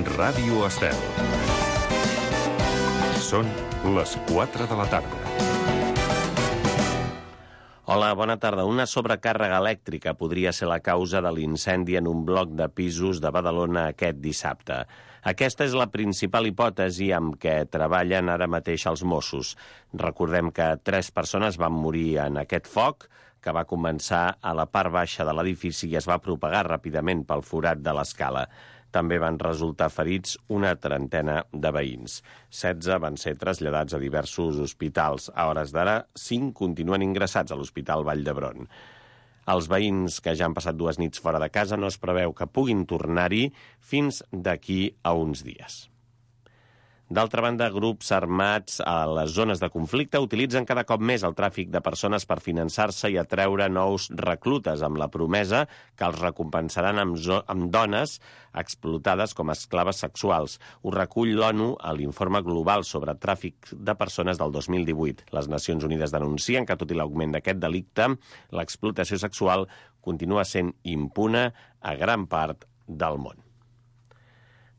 Ràdio Estel. Són les 4 de la tarda. Hola, bona tarda. Una sobrecàrrega elèctrica podria ser la causa de l'incendi en un bloc de pisos de Badalona aquest dissabte. Aquesta és la principal hipòtesi amb què treballen ara mateix els Mossos. Recordem que 3 persones van morir en aquest foc, que va començar a la part baixa de l'edifici i es va propagar ràpidament pel forat de l'escala. També van resultar ferits una trentena de veïns. 16 van ser traslladats a diversos hospitals. A hores d'ara, 5 continuen ingressats a l'Hospital Vall d'Hebron. Els veïns que ja han passat 2 nits fora de casa no es preveu que puguin tornar-hi fins d'aquí a uns dies. D'altra banda, grups armats a les zones de conflicte utilitzen cada cop més el tràfic de persones per finançar-se i atreure nous reclutes amb la promesa que els recompensaran amb dones explotades com a esclaves sexuals. Ho recull l'ONU a l'Informe Global sobre Tràfic de Persones del 2018. Les Nacions Unides denuncien que, tot i l'augment d'aquest delicte, l'explotació sexual continua sent impune a gran part del món.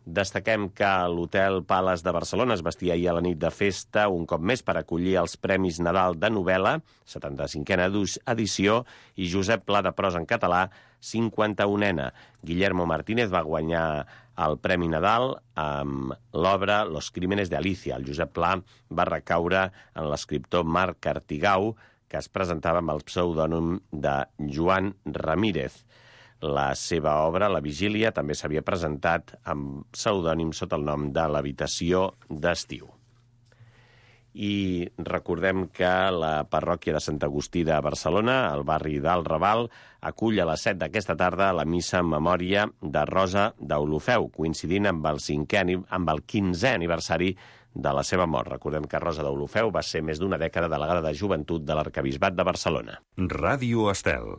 Destaquem que l'Hotel Palace de Barcelona es vestia ahir a la nit de festa un cop més per acollir els Premis Nadal de novel·la, 75a edició, i Josep Pla de prosa en català, 51a. Guillermo Martínez va guanyar el Premi Nadal amb l'obra Los Crímenes de Alicia. El Josep Pla va recaure en l'escriptor Marc Artigau, que es presentava amb el pseudònim de Joan Ramírez. La seva obra, La Vigília, també s'havia presentat amb pseudònim sota el nom de l'Habitació d'Estiu. I recordem que la parròquia de Sant Agustí de Barcelona, al barri del Raval, acull a les 7 d'aquesta tarda la missa en memòria de Rosa d'Olofeu, coincidint amb el 15è aniversari de la seva mort. Recordem que Rosa d'Olofeu va ser més d'una dècada delegada de joventut de l'Arquebisbat de Barcelona. Ràdio Estel.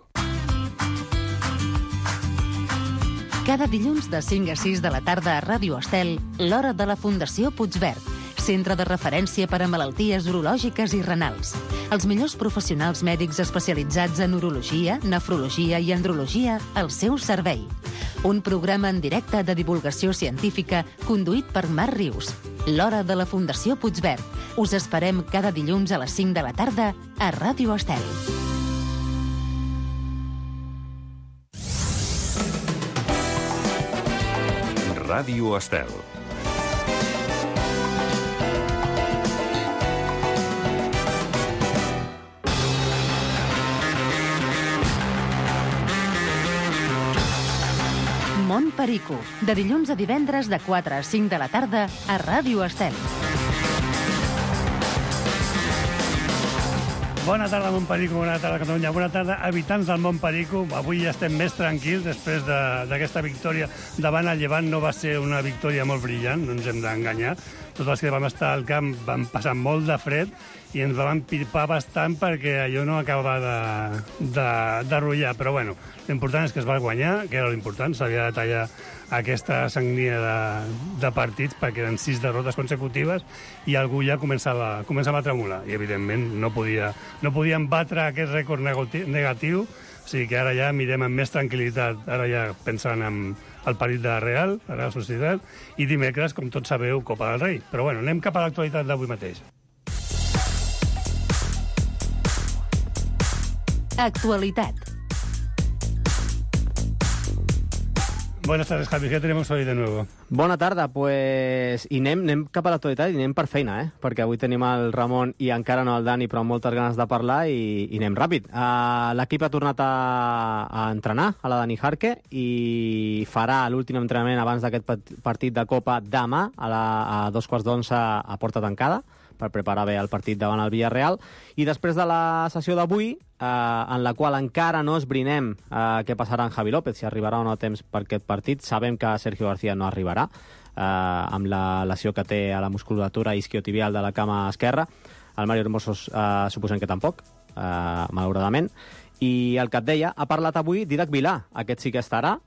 Cada dilluns de 5 a 6 de la tarda a Ràdio Estel, l'hora de la Fundació Puigverd, centre de referència per a malalties urològiques i renals. Els millors professionals mèdics especialitzats en urologia, nefrologia i andrologia al seu servei. Un programa en directe de divulgació científica conduït per Marc Rius. L'hora de la Fundació Puigverd. Us esperem cada dilluns a les 5 de la tarda a Ràdio Estel. Ràdio Estel. Mont Perico, de dilluns a divendres de 4 a 5 de la tarda a Ràdio Estel. Bona tarda, Montperico, bona tarda, Catalunya. Bona tarda, habitants del Montperico. Avui ja estem més tranquils després d'aquesta victòria davant el Llevant. No va ser una victòria molt brillant, no ens hem d'enganyar. Tots els que vam estar al camp vam passar molt de fred i ens vam empirpar bastant perquè allò no acabava de rotllar. Però bueno, l'important és que es va guanyar, que era l'important. S'havia de tallar aquesta sagnia de partits perquè eren 6 derrotes consecutives i algú ja començava a tremolar. I, evidentment, no podien batre aquest rècord negatiu, o sigui que ara ja mirem amb més tranquil·litat, ara ja pensant en el partit de Real, la Real Societat, i dimecres, com tots sabeu, Copa del Rei. Però bueno, anem cap a l'actualitat d'avui mateix. Actualitat. Buenas tardes, Javi. ¿Qué tenemos hoy de nuevo? Bona tarda, pues... I anem cap a l'actualitat i anem per feina, perquè avui tenim el Ramon i encara no el Dani, però amb moltes ganes de parlar i anem ràpid. L'equip ha tornat a entrenar a la Dani Jarque i farà l'últim entrenament abans d'aquest partit de Copa demà a 2:15 a porta tancada per preparar bé el partit davant el Villarreal. I després de la sessió d'avui, en la qual encara no esbrinem què passarà en Javi López, si arribarà o no a temps per aquest partit. Sabem que Sergio García no arribarà, amb la lesió que té a la musculatura isquiotibial de la cama esquerra. El Mario Hermosos suposem que tampoc, malauradament. I el que et deia, ha parlat avui Dídac Vilà. Aquest sí que estarà,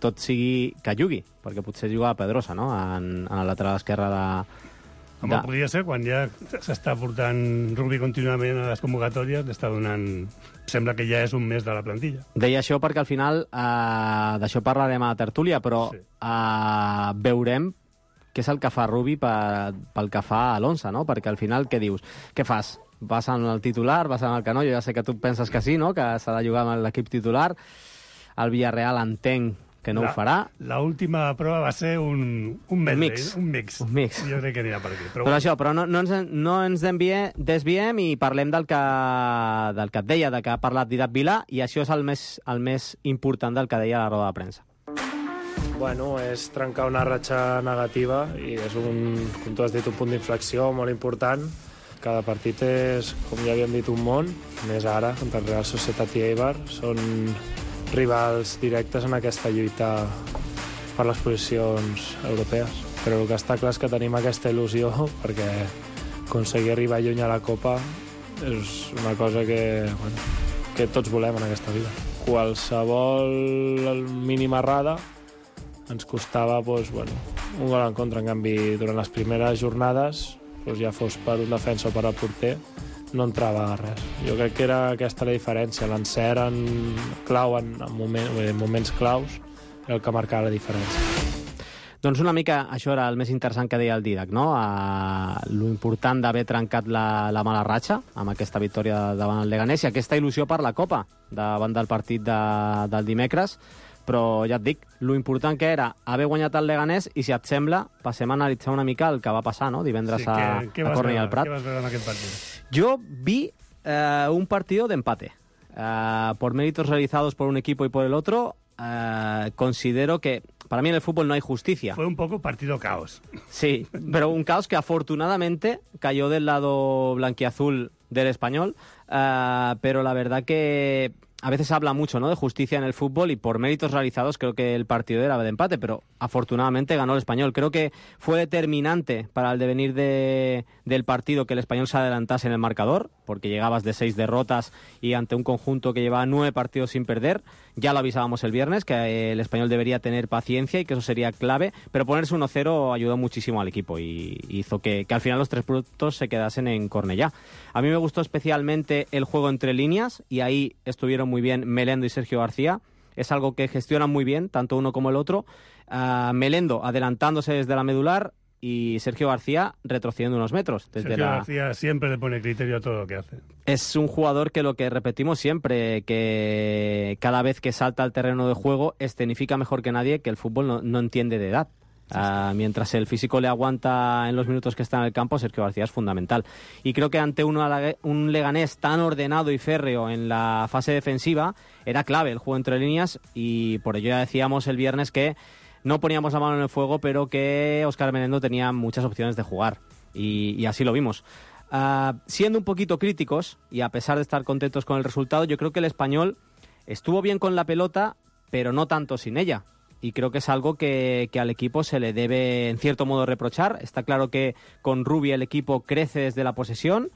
tot sigui que jugui, perquè potser juga a Pedrosa, no?, en el lateral esquerre Com podria ser, quan ja s'està portant rugby contínuament a les convocatòries, l'està donant... Sembla que ja és un mes de la plantilla. Deia això perquè al final d'això parlarem a la tertúlia, però veurem què és el que fa Rubí pel que fa a l'11, no? Perquè al final què dius? Què fas? Vas en el titular, vas en el canó? Jo ja sé que tu penses que sí, no? Que s'ha de jugar amb l'equip titular. El Villarreal entenc que no ho farà. L'última prova va ser un medley, un mix. Jo crec que anirà per aquí. Però no ens desviem i parlem del que et deia, de que ha parlat Dídac Vilà, i això és el més important del que deia a la roda de premsa. Bueno, és trencar una ratxa negativa i és com tu has dit, un punt d'inflexió molt important. Cada partit és, com ja havíem dit, un món, més ara, contra el Real Societat i Eibar. Són rivals directes en aquesta lluita per les posicions europees. Però el que està clar és que tenim aquesta il·lusió perquè aconseguir arribar lluny a la Copa és una cosa que tots volem en aquesta vida. Qualsevol mínima errada ens costava un gol en contra. En canvi, durant les primeres jornades, ja fos per un defensa o per al porter, no entrava res. Jo crec que era aquesta la diferència. L'encert en moments claus era el que marcava la diferència. Doncs una mica això era el més interessant que deia el Dídac, no? Lo important d'haver trencat la mala ratxa amb aquesta victòria davant el Leganés i aquesta il·lusió per la Copa davant del partit del dimecres. Però ja et dic, lo important que era haver guanyat el Leganés i, si et sembla, passem a analitzar una mica el que va passar, no? Divendres a Cornellà al Prat. Què vas veure en aquest partit? Yo vi un partido de empate. Por méritos realizados por un equipo y por el otro, considero que para mí en el fútbol no hay justicia. Fue un poco partido caos. Sí, pero un caos que afortunadamente cayó del lado blanquiazul del Español, pero la verdad que a veces se habla mucho, ¿no?, de justicia en el fútbol y por méritos realizados creo que el partido era de empate, pero afortunadamente ganó el Español. Creo que fue determinante para el devenir del partido que el Español se adelantase en el marcador, porque llegabas de 6 derrotas y ante un conjunto que llevaba 9 partidos sin perder. Ya lo avisábamos el viernes, que el Español debería tener paciencia y que eso sería clave, pero ponerse 1-0 ayudó muchísimo al equipo y hizo que al final los 3 puntos se quedasen en Cornellá. A mí me gustó especialmente el juego entre líneas y ahí estuvieron muy bien Melendo y Sergio García. Es algo que gestionan muy bien, tanto uno como el otro. Melendo adelantándose desde la medular y Sergio García retrocediendo unos metros. Sergio García siempre le pone criterio a todo lo que hace. Es un jugador que, lo que repetimos siempre, que cada vez que salta al terreno de juego escenifica mejor que nadie, que el fútbol no entiende de edad. Mientras el físico le aguanta en los minutos que está en el campo, Sergio García es fundamental. Y creo que ante un Leganés tan ordenado y férreo en la fase defensiva, era clave el juego entre líneas y por ello ya decíamos el viernes que no poníamos la mano en el fuego, pero que Óscar Melendo tenía muchas opciones de jugar. Y así lo vimos. Siendo un poquito críticos, y a pesar de estar contentos con el resultado, yo creo que el Español estuvo bien con la pelota, pero no tanto sin ella. Y creo que es algo que al equipo se le debe, en cierto modo, reprochar. Está claro que con Rubí el equipo crece desde la posesión,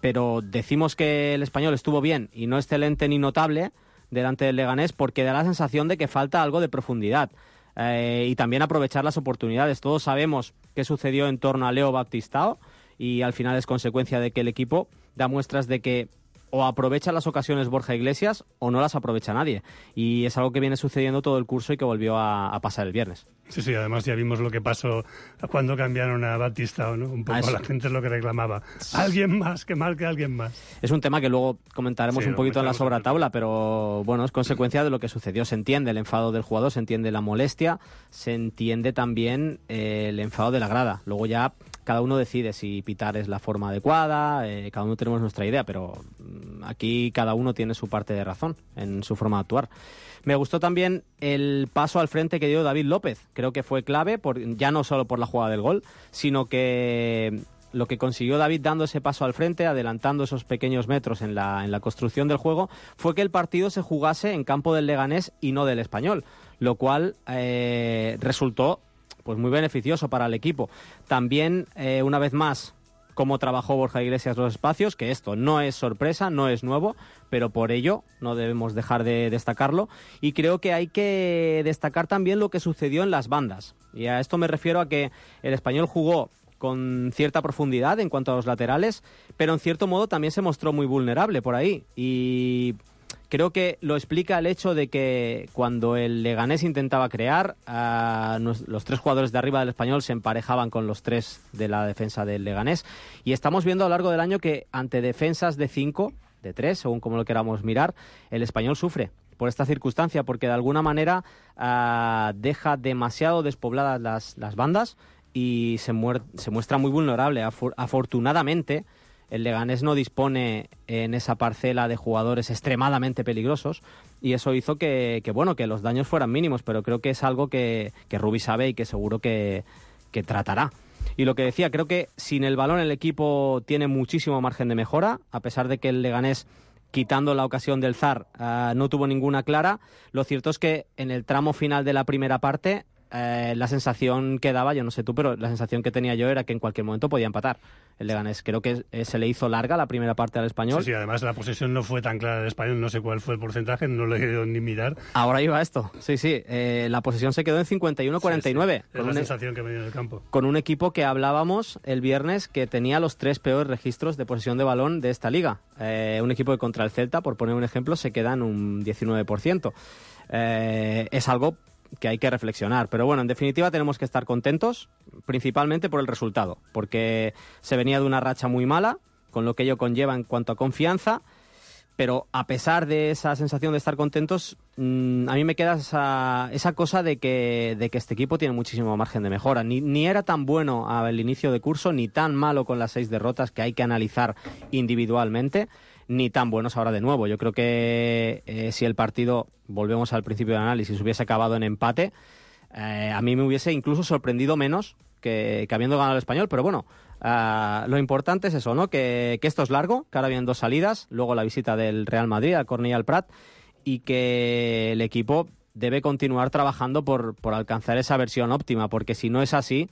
pero decimos que el Español estuvo bien y no excelente ni notable delante del Leganés porque da la sensación de que falta algo de profundidad y también aprovechar las oportunidades. Todos sabemos qué sucedió en torno a Leo Baptistao y al final es consecuencia de que el equipo da muestras de que o aprovecha las ocasiones Borja Iglesias o no las aprovecha nadie. Y es algo que viene sucediendo todo el curso y que volvió a pasar el viernes. Sí, además ya vimos lo que pasó cuando cambiaron a Batistao, ¿no? Un poco la gente es lo que reclamaba. Alguien más, que marque alguien más. Es un tema que luego comentaremos un poquito en la sobratabla, pero bueno, es consecuencia de lo que sucedió. Se entiende el enfado del jugador, se entiende la molestia, se entiende también el enfado de la grada. Luego ya cada uno decide si pitar es la forma adecuada, cada uno tenemos nuestra idea, pero aquí cada uno tiene su parte de razón en su forma de actuar. Me gustó también el paso al frente que dio David López. Creo que fue clave, ya no solo por la jugada del gol, sino que lo que consiguió David dando ese paso al frente, adelantando esos pequeños metros en la construcción del juego, fue que el partido se jugase en campo del Leganés y no del Español, lo cual resultó pues muy beneficioso para el equipo. También, una vez más, cómo trabajó Borja Iglesias los espacios, que esto no es sorpresa, no es nuevo, pero por ello no debemos dejar de destacarlo. Y creo que hay que destacar también lo que sucedió en las bandas. Y a esto me refiero a que el Español jugó con cierta profundidad en cuanto a los laterales, pero en cierto modo también se mostró muy vulnerable por ahí. Y creo que lo explica el hecho de que cuando el Leganés intentaba crear, los 3 jugadores de arriba del Español se emparejaban con los 3 de la defensa del Leganés. Y estamos viendo a lo largo del año que ante defensas de 5, de 3, según como lo queramos mirar, el Español sufre por esta circunstancia, porque de alguna manera deja demasiado despobladas las bandas y se muestra muy vulnerable. Afortunadamente, el Leganés no dispone en esa parcela de jugadores extremadamente peligrosos y eso hizo que los daños fueran mínimos, pero creo que es algo que Rubi sabe y que seguro que tratará. Y lo que decía, creo que sin el balón el equipo tiene muchísimo margen de mejora, a pesar de que el Leganés, quitando la ocasión del Zar, no tuvo ninguna clara. Lo cierto es que en el tramo final de la primera parte la sensación que daba, yo no sé tú, pero la sensación que tenía yo era que en cualquier momento podía empatar el Leganés. Creo que se le hizo larga la primera parte al Español. Sí, además la posesión no fue tan clara del Español, no sé cuál fue el porcentaje, no lo he ido ni mirar. Ahora iba esto, sí, la posesión se quedó en 51-49. Es la sensación que me dio en el campo. Con un equipo que hablábamos el viernes que tenía los 3 peores registros de posesión de balón de esta liga. Un equipo que contra el Celta, por poner un ejemplo, se queda en un 19%. Es algo que hay que reflexionar, pero bueno, en definitiva tenemos que estar contentos, principalmente por el resultado, porque se venía de una racha muy mala, con lo que ello conlleva en cuanto a confianza, pero a pesar de esa sensación de estar contentos, a mí me queda esa cosa de que este equipo tiene muchísimo margen de mejora. Ni era tan bueno al inicio de curso, ni tan malo con las 6 derrotas que hay que analizar individualmente, ni tan buenos ahora de nuevo. Yo creo que si el partido, volvemos al principio del análisis, hubiese acabado en empate, a mí me hubiese incluso sorprendido menos que habiendo ganado el Español, pero bueno, lo importante es eso, ¿no? Que esto es largo, que ahora vienen 2 salidas, luego la visita del Real Madrid al Cornellà al Prat, y que el equipo debe continuar trabajando por alcanzar esa versión óptima, porque si no es así,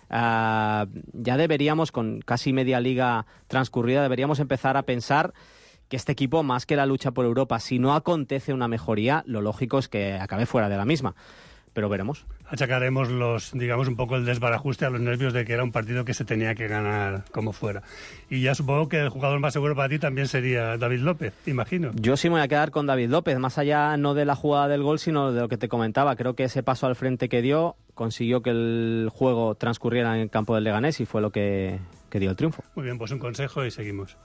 ya deberíamos, con casi media liga transcurrida, deberíamos empezar a pensar que este equipo, más que la lucha por Europa, si no acontece una mejoría, lo lógico es que acabe fuera de la misma. Pero veremos. Achacaremos un poco el desbarajuste a los nervios de que era un partido que se tenía que ganar como fuera. Y ya supongo que el jugador más seguro para ti también sería David López, imagino. Yo sí me voy a quedar con David López, más allá no de la jugada del gol, sino de lo que te comentaba. Creo que ese paso al frente que dio consiguió que el juego transcurriera en el campo del Leganés y fue lo que dio el triunfo. Muy bien, pues un consejo y seguimos.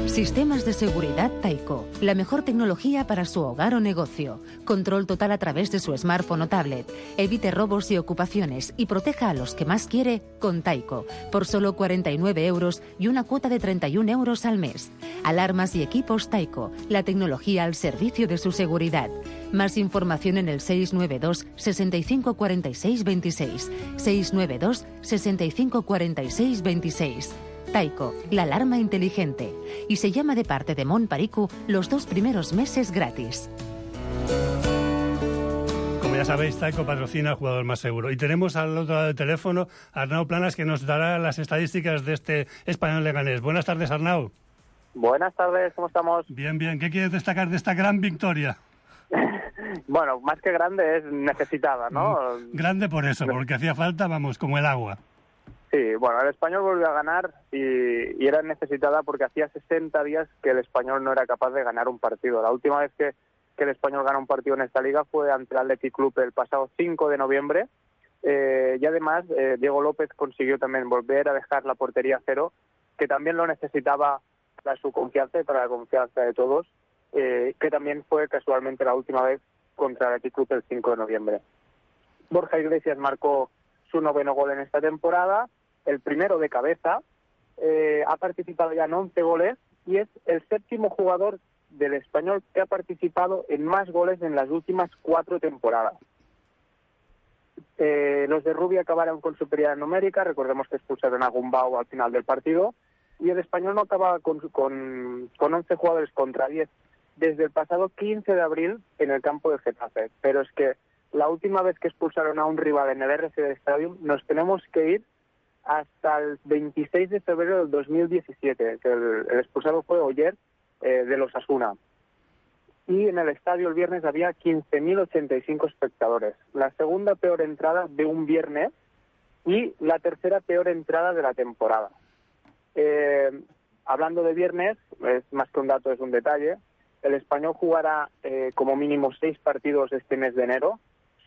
Sistemas de seguridad Tyco, la mejor tecnología para su hogar o negocio. Control total a través de su smartphone o tablet. Evite robos y ocupaciones y proteja a los que más quiere con Tyco, por solo 49 euros y una cuota de 31 euros al mes. Alarmas y equipos Tyco, la tecnología al servicio de su seguridad. Más información en el 692 65 46 26. 692 65 46 26. Tyco, la alarma inteligente. Y se llama de parte de Mon Paricu los 2 primeros meses gratis. Como ya sabéis, Tyco patrocina al jugador más seguro. Y tenemos al otro lado del teléfono a Arnau Planas, que nos dará las estadísticas de este Español Leganés. Buenas tardes, Arnau. Buenas tardes, ¿cómo estamos? Bien. ¿Qué quieres destacar de esta gran victoria? Bueno, más que grande es necesitada, ¿no? Grande por eso, porque hacía falta, como el agua. Sí, bueno, el Español volvió a ganar y era necesitada porque hacía 60 días que el Español no era capaz de ganar un partido. La última vez que el Español ganó un partido en esta liga fue ante el Athletic Club el pasado 5 de noviembre. Y además, Diego López consiguió también volver a dejar la portería a cero, que también lo necesitaba para su confianza y para la confianza de todos, que también fue casualmente la última vez contra el Athletic Club el 5 de noviembre. Borja Iglesias marcó su 9º gol en esta temporada, el primero de cabeza, ha participado ya en 11 goles y es el 7º jugador del Español que ha participado en más goles en las últimas 4 temporadas. Los de Rubi acabaron con superioridad numérica, recordemos que expulsaron a Gumbau al final del partido, y el Español no acaba con 11 jugadores contra 10 desde el pasado 15 de abril en el campo de Getafe. Pero es que la última vez que expulsaron a un rival en el RCD Stadium nos tenemos que ir hasta el 26 de febrero del 2017, que el expulsado fue Oyer, de los Osasuna. Y en el estadio el viernes había 15.085 espectadores. La segunda peor entrada de un viernes y la tercera peor entrada de la temporada. Hablando de viernes, es más que un dato, es un detalle. El Español jugará como mínimo 6 partidos este mes de enero.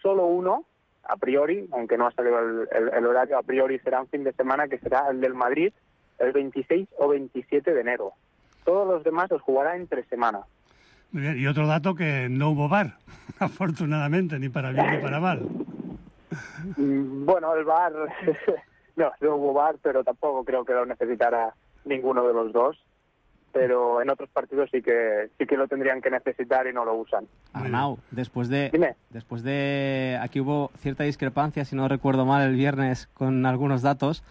Solo uno, a priori, aunque no ha salido el horario, a priori será un fin de semana, que será el del Madrid, el 26 o 27 de enero. Todos los demás los jugará entre semana. Muy bien. Y otro dato, que no hubo VAR, afortunadamente, ni para bien ni para mal. Bueno, el VAR, no hubo VAR, pero tampoco creo que lo necesitara ninguno de los dos. Pero en otros partidos sí que lo tendrían que necesitar y no lo usan. Arnau, después Dime. de... Aquí hubo cierta discrepancia, si no recuerdo mal, el viernes con algunos datos.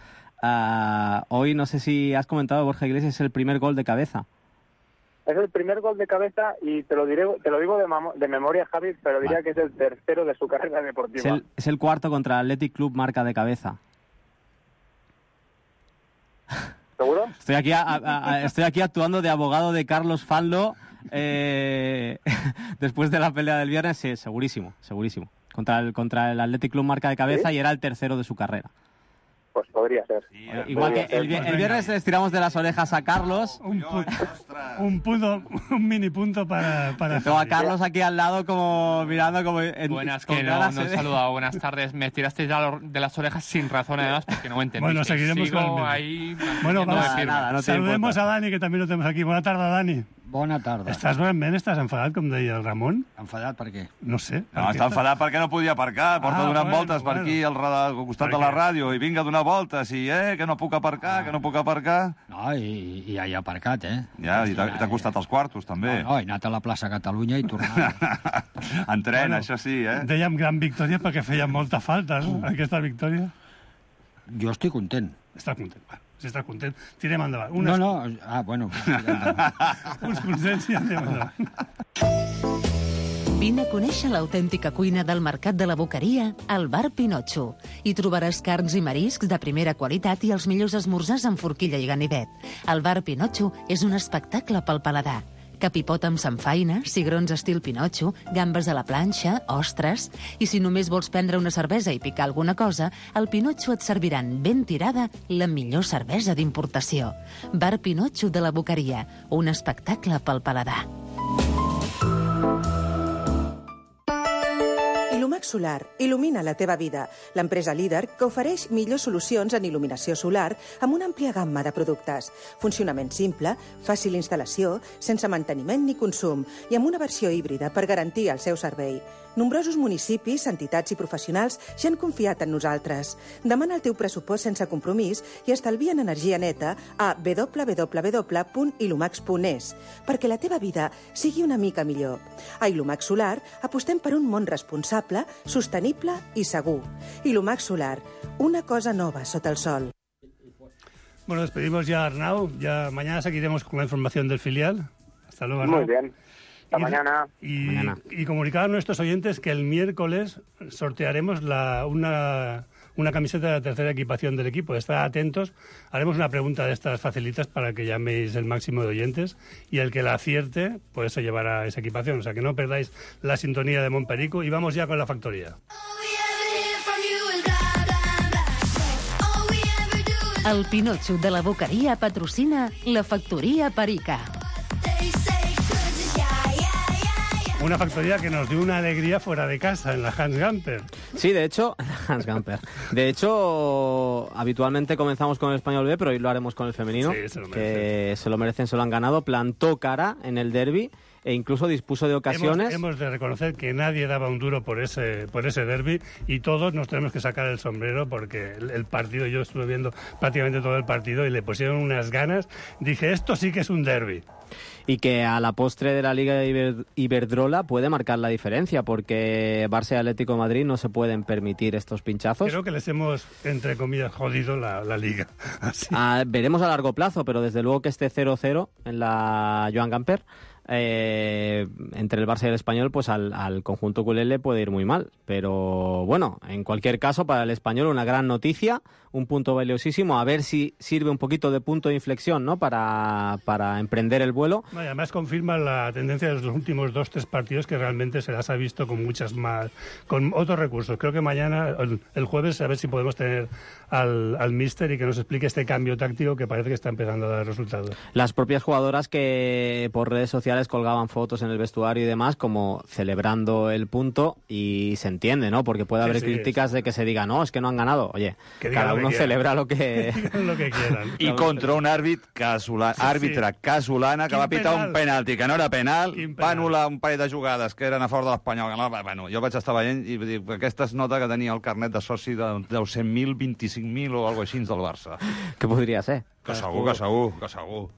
Hoy, no sé si has comentado, Borja Iglesias, es el primer gol de cabeza. Es el primer gol de cabeza y te lo digo de memoria, Javi, pero diría que es el tercero de su carrera deportiva. Es el cuarto contra el Athletic Club, marca de cabeza. ¿Seguro? Estoy aquí actuando de abogado de Carlos Fanlo después de la pelea del viernes. Sí, segurísimo. Contra el Athletic Club, marca de cabeza, ¿sí? Y era el tercero de su carrera. Pues podría ser. Sí, igual que el viernes les tiramos de las orejas a Carlos. Un mini punto para tengo a Carlos aquí al lado como mirando como... Buenas, que no he saludado. Buenas tardes. Me tirasteis de las orejas sin razón, además, porque no me entendí. Bueno, seguiremos con el ahí. Bueno, nada, no saludemos a Dani, que también lo tenemos aquí. Buena tarde, Dani. Bona tarda. Estàs enfadat, com deia el Ramon? Enfadat per què? No sé. No, està enfadat perquè no podia aparcar. Porta donant voltes per aquí al costat de la ràdio i vinga a donar voltes i que no puc aparcar, que no puc aparcar. No, i ja he aparcat, Ja, i t'ha costat els quartos, també. No, he anat a la plaça Catalunya i tornat. En tren, això sí, Dèiem gran victòria perquè feia molta falta, no?, aquesta victòria. Jo estic content. Estàs content, va. Si estàs content, tirem endavant. Bueno. Uns consens i anem endavant. Vine a conèixer l'autèntica cuina del Mercat de la Boqueria al Bar Pinotxo. Hi trobaràs carns i mariscs de primera qualitat i els millors esmorzars amb forquilla i ganivet. El Bar Pinotxo és un espectacle pel paladar. Capipot amb samfaina, cigrons estil Pinotxo, gambes a la planxa, ostres... I si només vols prendre una cervesa i picar alguna cosa, al Pinotxo et serviran ben tirada la millor cervesa d'importació. Bar Pinotxo de la Boqueria, un espectacle pel paladar. Ilumax Solar il·lumina la teva vida. L'empresa líder que ofereix millors solucions en il·luminació solar amb una àmplia gamma de productes. Funcionament simple, fàcil instal·lació, sense manteniment ni consum i amb una versió híbrida per garantir el seu servei. Nombrosos municipis, entitats i professionals ja han confiat en nosaltres. Demana el teu pressupost sense compromís i estalvia en energia neta a www.ilumax.es perquè la teva vida sigui una mica millor. A Ilumax Solar apostem per un món responsable, sostenible i segur. Ilumax Solar, una cosa nova sota el sol. Bueno, despedimos ya a Arnau. Ya mañana seguiremos con la información del filial. Hasta luego, Arnau. Muy bien. Hasta mañana. Y comunicar a nuestros oyentes que el miércoles sortearemos una camiseta de la tercera equipación del equipo. Estad atentos. Haremos una pregunta de estas facilitas para que llaméis el máximo de oyentes y el que la acierte, pues se llevará esa equipación. O sea, que no perdáis la sintonía de Montperico. Y vamos ya con la factoría. El Pinotxo de la Boqueria patrocina la Factoria Perica. Una factoría que nos dio una alegría fuera de casa, en la Hans Gamper. Sí, de hecho, Hans Gamper. De hecho, habitualmente comenzamos con el Español B, pero hoy lo haremos con el femenino. Sí, se lo merecen. Que se lo merecen, se lo han ganado. Plantó cara en el derbi e incluso dispuso de ocasiones. Hemos de reconocer que nadie daba un duro por ese derbi y todos nos tenemos que sacar el sombrero porque el partido, yo estuve viendo prácticamente todo el partido y le pusieron unas ganas. Dije, esto sí que es un derbi. Y que a la postre de la Liga Iberdrola puede marcar la diferencia, porque Barça y Atlético de Madrid no se pueden permitir estos pinchazos. Creo que les hemos, entre comillas, jodido la Liga. Así. Veremos a largo plazo, pero desde luego que este 0-0 en la Joan Gamper entre el Barça y el Español, pues al conjunto culé le puede ir muy mal. Pero bueno, en cualquier caso, para el Español una gran noticia, un punto valiosísimo, a ver si sirve un poquito de punto de inflexión, ¿no? Para emprender el vuelo. No, y además confirma la tendencia de los últimos 2-3 partidos, que realmente se las ha visto con muchas más, con otros recursos. Creo que mañana, el jueves, a ver si podemos tener al míster y que nos explique este cambio táctico que parece que está empezando a dar resultados. Las propias jugadoras que por redes sociales colgaban fotos en el vestuario y demás, como celebrando el punto, y se entiende, ¿no? Porque puede haber críticas de que se diga, no, es que no han ganado. Oye, cada uno celebra lo que quieran. I contra un àrbitre casolana que va pitar un penalti, que no era penal, va anul·lar un parell de jugades que eren a favor de l'Espanyol. Bueno, jo vaig estar veient i dic, aquesta es nota que tenia el carnet de soci de 100.000, 25.000 o algo així del Barça. Que podría ser. Que segur.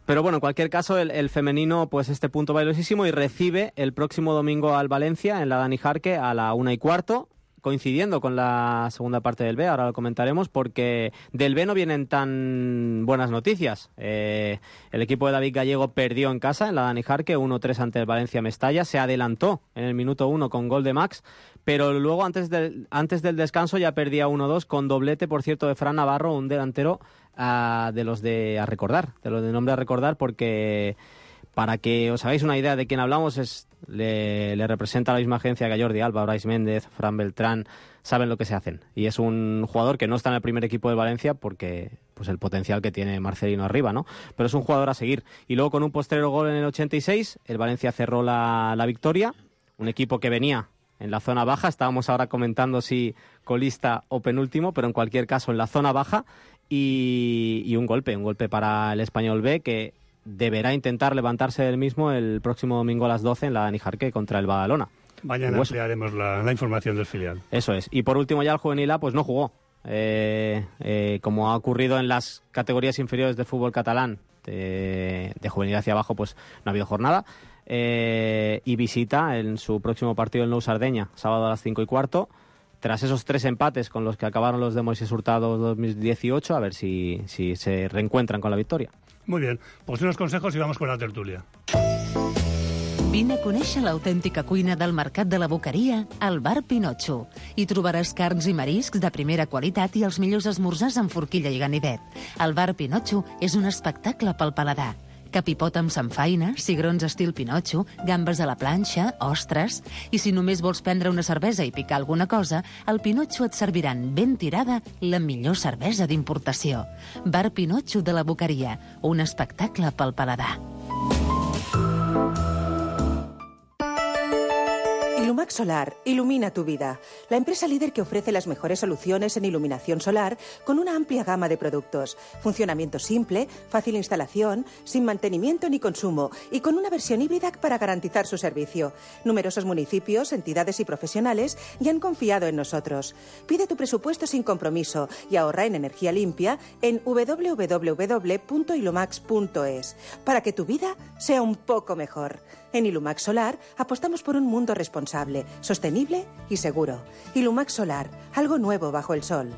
Pero bueno, en cualquier caso, el femenino, pues este punto valiosísimo, y recibe el próximo domingo al Valencia en la Dani Jarque a la 1:15, coincidiendo con la segunda parte del B, ahora lo comentaremos, porque del B no vienen tan buenas noticias. El equipo de David Gallego perdió en casa en la Dani Jarque 1-3 ante el Valencia Mestalla, se adelantó en el minuto 1 con gol de Max, pero luego antes del descanso ya perdía 1-2 con doblete, por cierto, de Fran Navarro, un delantero de los de nombre a recordar, porque para que os hagáis una idea de quién hablamos, le representa la misma agencia que a Jordi Alba, Brais Méndez, Fran Beltrán, saben lo que se hacen. Y es un jugador que no está en el primer equipo de Valencia porque pues el potencial que tiene Marcelino arriba, ¿no? Pero es un jugador a seguir. Y luego con un postrero gol en el 86, el Valencia cerró la victoria, un equipo que venía en la zona baja, estábamos ahora comentando si colista o penúltimo, pero en cualquier caso en la zona baja, y un golpe para el Español B, que deberá intentar levantarse del mismo el próximo domingo a las 12 en la Dani Jarque contra el Badalona. Mañana ampliaremos la información del filial. Eso es. Y por último ya el juvenil A pues no jugó. Como ha ocurrido en las categorías inferiores del fútbol catalán, de juvenil hacia abajo, pues no ha habido jornada. Y visita en su próximo partido el Nou Sardeña, sábado a las 5:15. Tras esos 3 empates con los que acabaron los de Moisés Hurtado 2018, a ver si se reencuentran con la victoria. Muy bien, pues unos consejos y vamos con la tertulia. Vine a conèixer l'autèntica cuina del Mercat de la Boqueria al Bar Pinotxo. Hi trobaràs carns i mariscs de primera qualitat i els millors esmorzars amb forquilla i ganivet. El Bar Pinotxo és un espectacle pel paladar. Capipot amb samfaina, cigrons estil Pinotxo, gambes a la planxa, ostres... I si només vols prendre una cervesa i picar alguna cosa, al Pinotxo et serviran ben tirada la millor cervesa d'importació. Bar Pinotxo de la Boqueria, un espectacle pel paladar. Ilumax Solar ilumina tu vida. La empresa líder que ofrece las mejores soluciones en iluminación solar con una amplia gama de productos. Funcionamiento simple, fácil instalación, sin mantenimiento ni consumo y con una versión híbrida para garantizar su servicio. Numerosos municipios, entidades y profesionales ya han confiado en nosotros. Pide tu presupuesto sin compromiso y ahorra en energía limpia en www.ilumax.es para que tu vida sea un poco mejor. En Ilumax Solar apostamos por un mundo responsable, sostenible y seguro. Ilumax Solar, algo nuevo bajo el sol.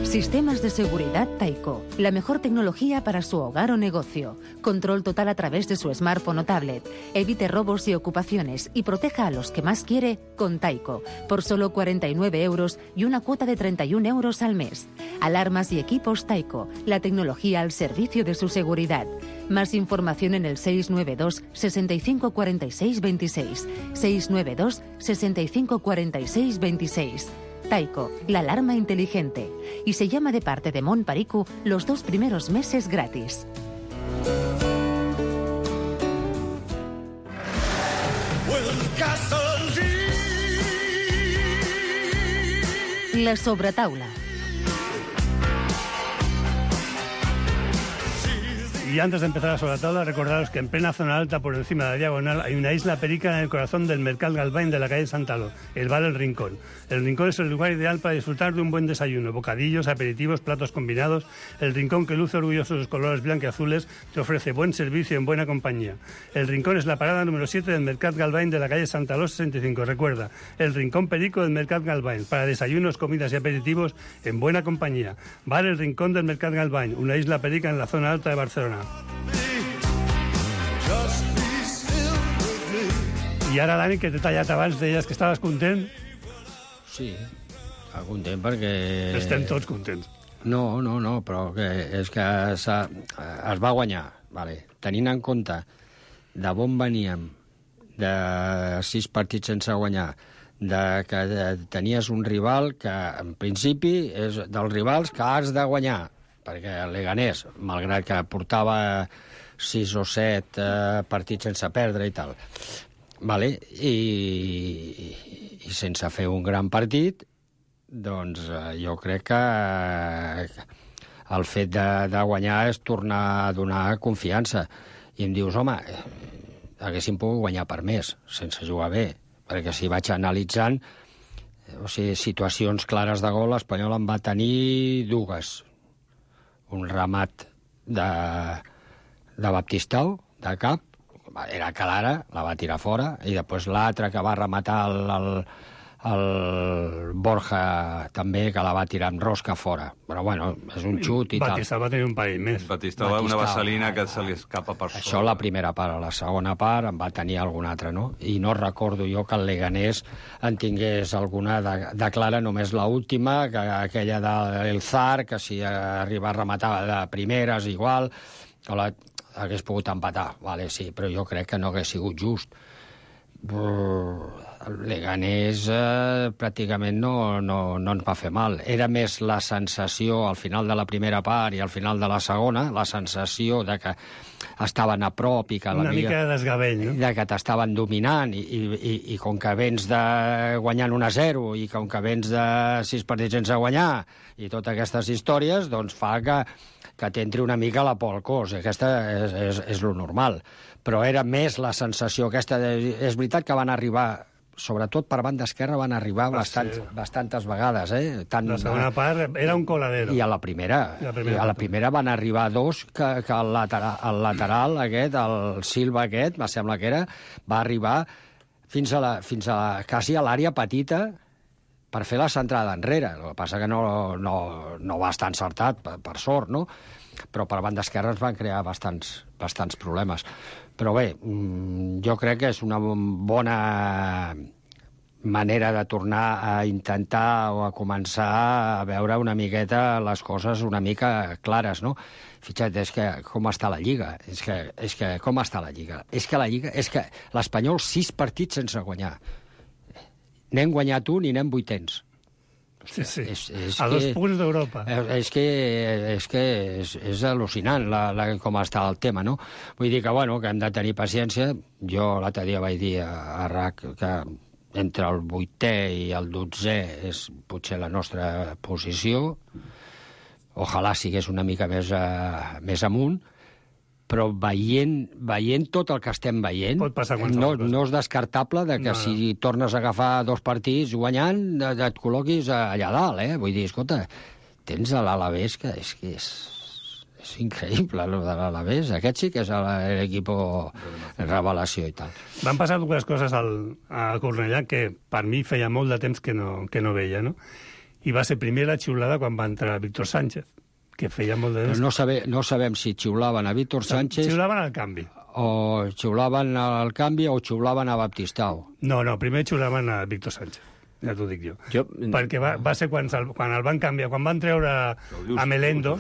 Sistemas de seguridad Taiko. La mejor tecnología para su hogar o negocio. Control total a través de su smartphone o tablet. Evite robos y ocupaciones y proteja a los que más quiere con Taiko. Por solo 49 euros y una cuota de 31 euros al mes. Alarmas y equipos Taiko. La tecnología al servicio de su seguridad. Más información en el 692 65 46 26. 692 65 46 26. Taiko, la alarma inteligente. Y se llama de parte de Mon Paricu los 2 primeros meses gratis. La sobretaula. Y antes de empezar la sobretaula, recordaros que en plena zona alta, por encima de la diagonal, hay una isla perica en el corazón del Mercat Galvain de la calle Santaló, el bar El Rincón. El Rincón es el lugar ideal para disfrutar de un buen desayuno, bocadillos, aperitivos, platos combinados. El Rincón, que luce orgulloso de sus colores blanqueazules, te ofrece buen servicio en buena compañía. El Rincón es la parada número 7 del Mercat Galvain de la calle Santaló 65. Recuerda, el Rincón perico del Mercat Galvain, para desayunos, comidas y aperitivos en buena compañía. Bar El Rincón del Mercat Galvain, una isla perica en la zona alta de Barcelona. I ara, Dani, que t'he tallat abans, deies que estaves content? Sí, estava content perquè... Estem tots contents. No, però és que es va guanyar, vale. Tenint en compte de on veníem, de 6 partits sense guanyar, que tenies un rival que, en principi, és dels rivals que has de guanyar, perquè el Leganés, malgrat que portava 6 o 7 partits sense perdre i tal, vale? I sense fer un gran partit, doncs jo crec que el fet de guanyar és tornar a donar confiança. I em dius, home, haguéssim pogut guanyar per més, sense jugar bé, perquè si vaig analitzant, o sigui, situacions clares de gol, l'Espanyol en va tenir 2. Un remat de Baptistao, de cap, era clara, la va tirar fora, i després l'altre que va rematar el Borja també, que la va tirar amb rosca fora. Però bueno, és un xut i tal. Batistau va tenir un parell més. Batistau va una vaselina que se li escapa per sobre. Això la primera part. A la segona part en va tenir alguna altra, no? I no recordo jo que el Leganés en tingués alguna de clara, només l'última, aquella del Zar, que si arriba a rematar de primeres igual, que hagués pogut empatar, vale, sí, però jo crec que no hagués sigut just. El Leganés pràcticament no ens va fer mal. Era més la sensació al final de la primera part i al final de la segona, la sensació de que estaven a prop i que una mica de desgavell, no? De que t'estaven dominant i com que vens de guanyant 1-0 i com que vens de 6 partits sense guanyar i totes aquestes històries, doncs fa que t'entri una mica la por al cos. Aquesta és lo normal. Però era més la sensació aquesta. És veritat que van arribar, sobretot per banda esquerra, van arribar bastantes vegades. La segona part era un coladero. I a la primera van arribar 2 que el lateral aquest, el Silva aquest, me sembla que era, va arribar fins a quasi a l'àrea petita per fer la centrada enrere. El que passa que no va estar encertat, per sort, no? Però per banda esquerra ens van crear bastants problemes. Però bé, jo crec que és una bona manera de tornar a intentar o a començar a veure una miqueta les coses una mica clares, no? Fixa't, és que com està la Lliga? És que com està la Lliga? És que l'Espanyol 6 partits sense guanyar. N'hem guanyat un i n'hem 800. Sí. A 2 punts d'Europa. És que és al·lucinant com està el tema, no? Vull dir que hem de tenir paciència. Jo l'altre dia vaig dir a RAC que entre el 8è i el 12è és potser la nostra posició. Ojalà sigués una mica més amunt, però veient tot el que estem veient, no és descartable que si tornes a agafar 2 partits guanyant, et col·loquis allà dalt, Vull dir, escolta, tens l'Alavés, que és increïble, el de l'Alavés. Aquest sí que és l'equip revelació i tal. Van passar 2 coses a Cornellà que per mi feia molt de temps que no veia, no? I va ser primer la xiulada quan va entrar Víctor Sánchez, que feia molt de temps. No sabem si xiulaven a Víctor Sánchez... Xiulaven al canvi. O xiulaven al canvi o xiulaven a Baptistao. No, primer xiulaven a Víctor Sánchez, ja t'ho dic jo. Perquè va ser quan el van canviar, quan van treure a Melendo...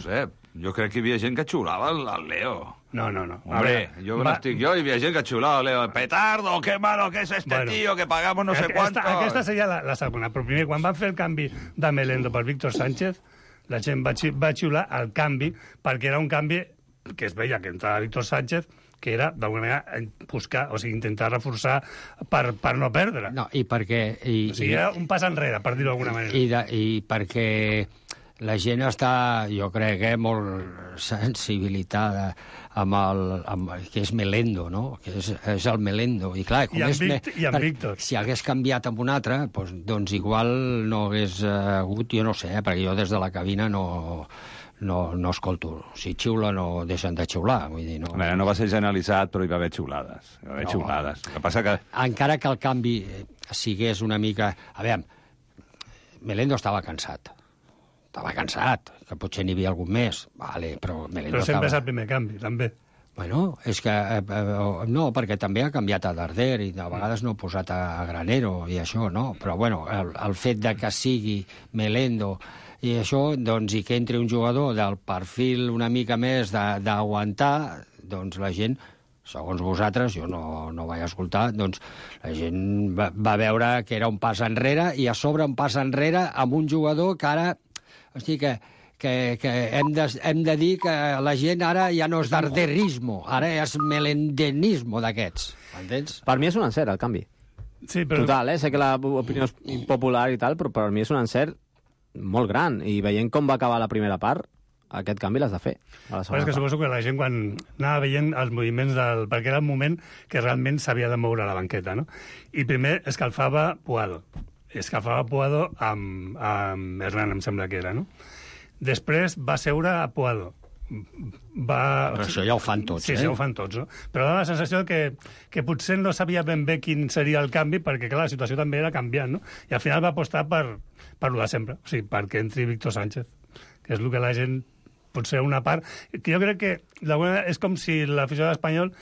Jo crec que hi havia gent que xiulava al Leo. No. Hombre, jo no estic jo i hi havia gent que xiulava al Leo. Petardo, qué malo que es este tío, que pagamos no sé cuánto. Aquesta seria la segona. Però primer, quan van fer el canvi de Melendo per Víctor Sánchez, la gent va xiular al canvi, perquè era un canvi que es veia que entrava Víctor Sánchez, que era, d'alguna manera, intentar reforçar per no perdre. No, i perquè... era un pas enrere, per dir-ho d'alguna manera. I perquè la gent està, jo crec, molt sensibilitada amb que és Melendo, no? Que és el Melendo. I clar, Víctor. Si hagués canviat amb un altre, doncs igual no hagués hagut, jo no sé, perquè jo des de la cabina no escolto. Si xiula no deixen de xiular. Vull dir, no. No va ser generalitzat, però hi va haver xiulades. El que passa que... Encara que el canvi sigués una mica... A veure, Melendo estava cansat, que potser n'hi havia algun més, vale, però Melendo sempre és el primer canvi, també. Bueno, és que... no, perquè també ha canviat a Darder i de vegades no ha posat a Granero i això, no? Però, bueno, el fet de que sigui Melendo i això, doncs, i que entri un jugador del perfil una mica més d'aguantar, doncs la gent, segons vosaltres, jo no vaig escoltar, doncs la gent va veure que era un pas enrere i a sobre un pas enrere amb un jugador que ara... Hosti, que hem de dir que la gent ara ja no és darderismo, ara és melendenismo d'aquests. Entens? Per mi és un encert, el canvi. Sí, però... Total, sé que l'opinió és impopular i tal, però per mi és un encert molt gran. I veient com va acabar la primera part, aquest canvi l'has de fer. Però és que suposo que la gent, quan anava veient els moviments perquè era el moment que realment s'havia de moure la banqueta, no? I primer escalfava Puado. Escalfava Puado amb Hernán, em sembla que era, no? Després va seure a Puado. Però això ja ho fan tots, sí, ja ho fan tots, no? Però dona la sensació que potser no sabia ben bé quin seria el canvi, perquè, clar, la situació també era canviant, no? I al final va apostar per lo de sempre, o sigui, perquè entri Víctor Sánchez, que és el que la gent, potser una part... Que jo crec que és com si l'afició de l'Espanyol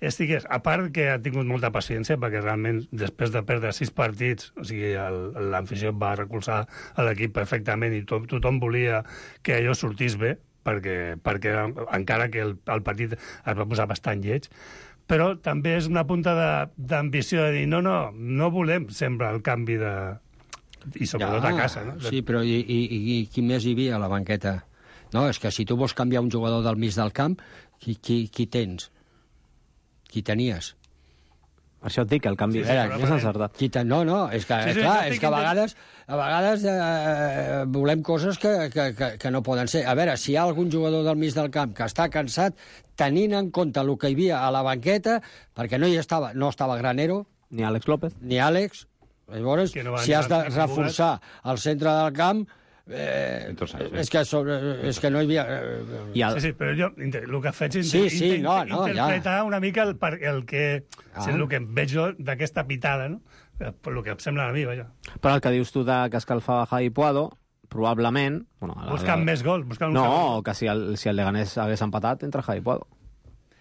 estigués, a part que ha tingut molta paciència, perquè realment després de perdre 6 partits, o sigui, l'afició va recolzar l'equip perfectament i tothom volia que allò sortís bé, perquè encara que el partit es va posar bastant lleig, però també és una punta d'ambició de dir no volem sempre el canvi de... i sobretot a casa, no? Sí, però i qui més hi havia a la banqueta? No, és que si tu vols canviar un jugador del mig del camp, qui tens? Qui tenies? Això et dic, el canvi és encertat. No, és que, clar, és que a vegades volem coses que no poden ser. A veure, si hi ha algun jugador del mig del camp que està cansat, tenint en compte el que hi havia a la banqueta, perquè no estava Granero... Ni Àlex López. Ni Àlex. Llavors, si has de reforçar el centre del camp... és que no hi havia... Sí, però jo el que faig és interpretar una mica el que veig jo d'aquesta pitada, no? Per el que em sembla a mi, vaja. Però el que dius tu que escalfava Javi Puado, probablement... Buscant més gols. Que si el Leganés hagués empatat, entra Javi Puado.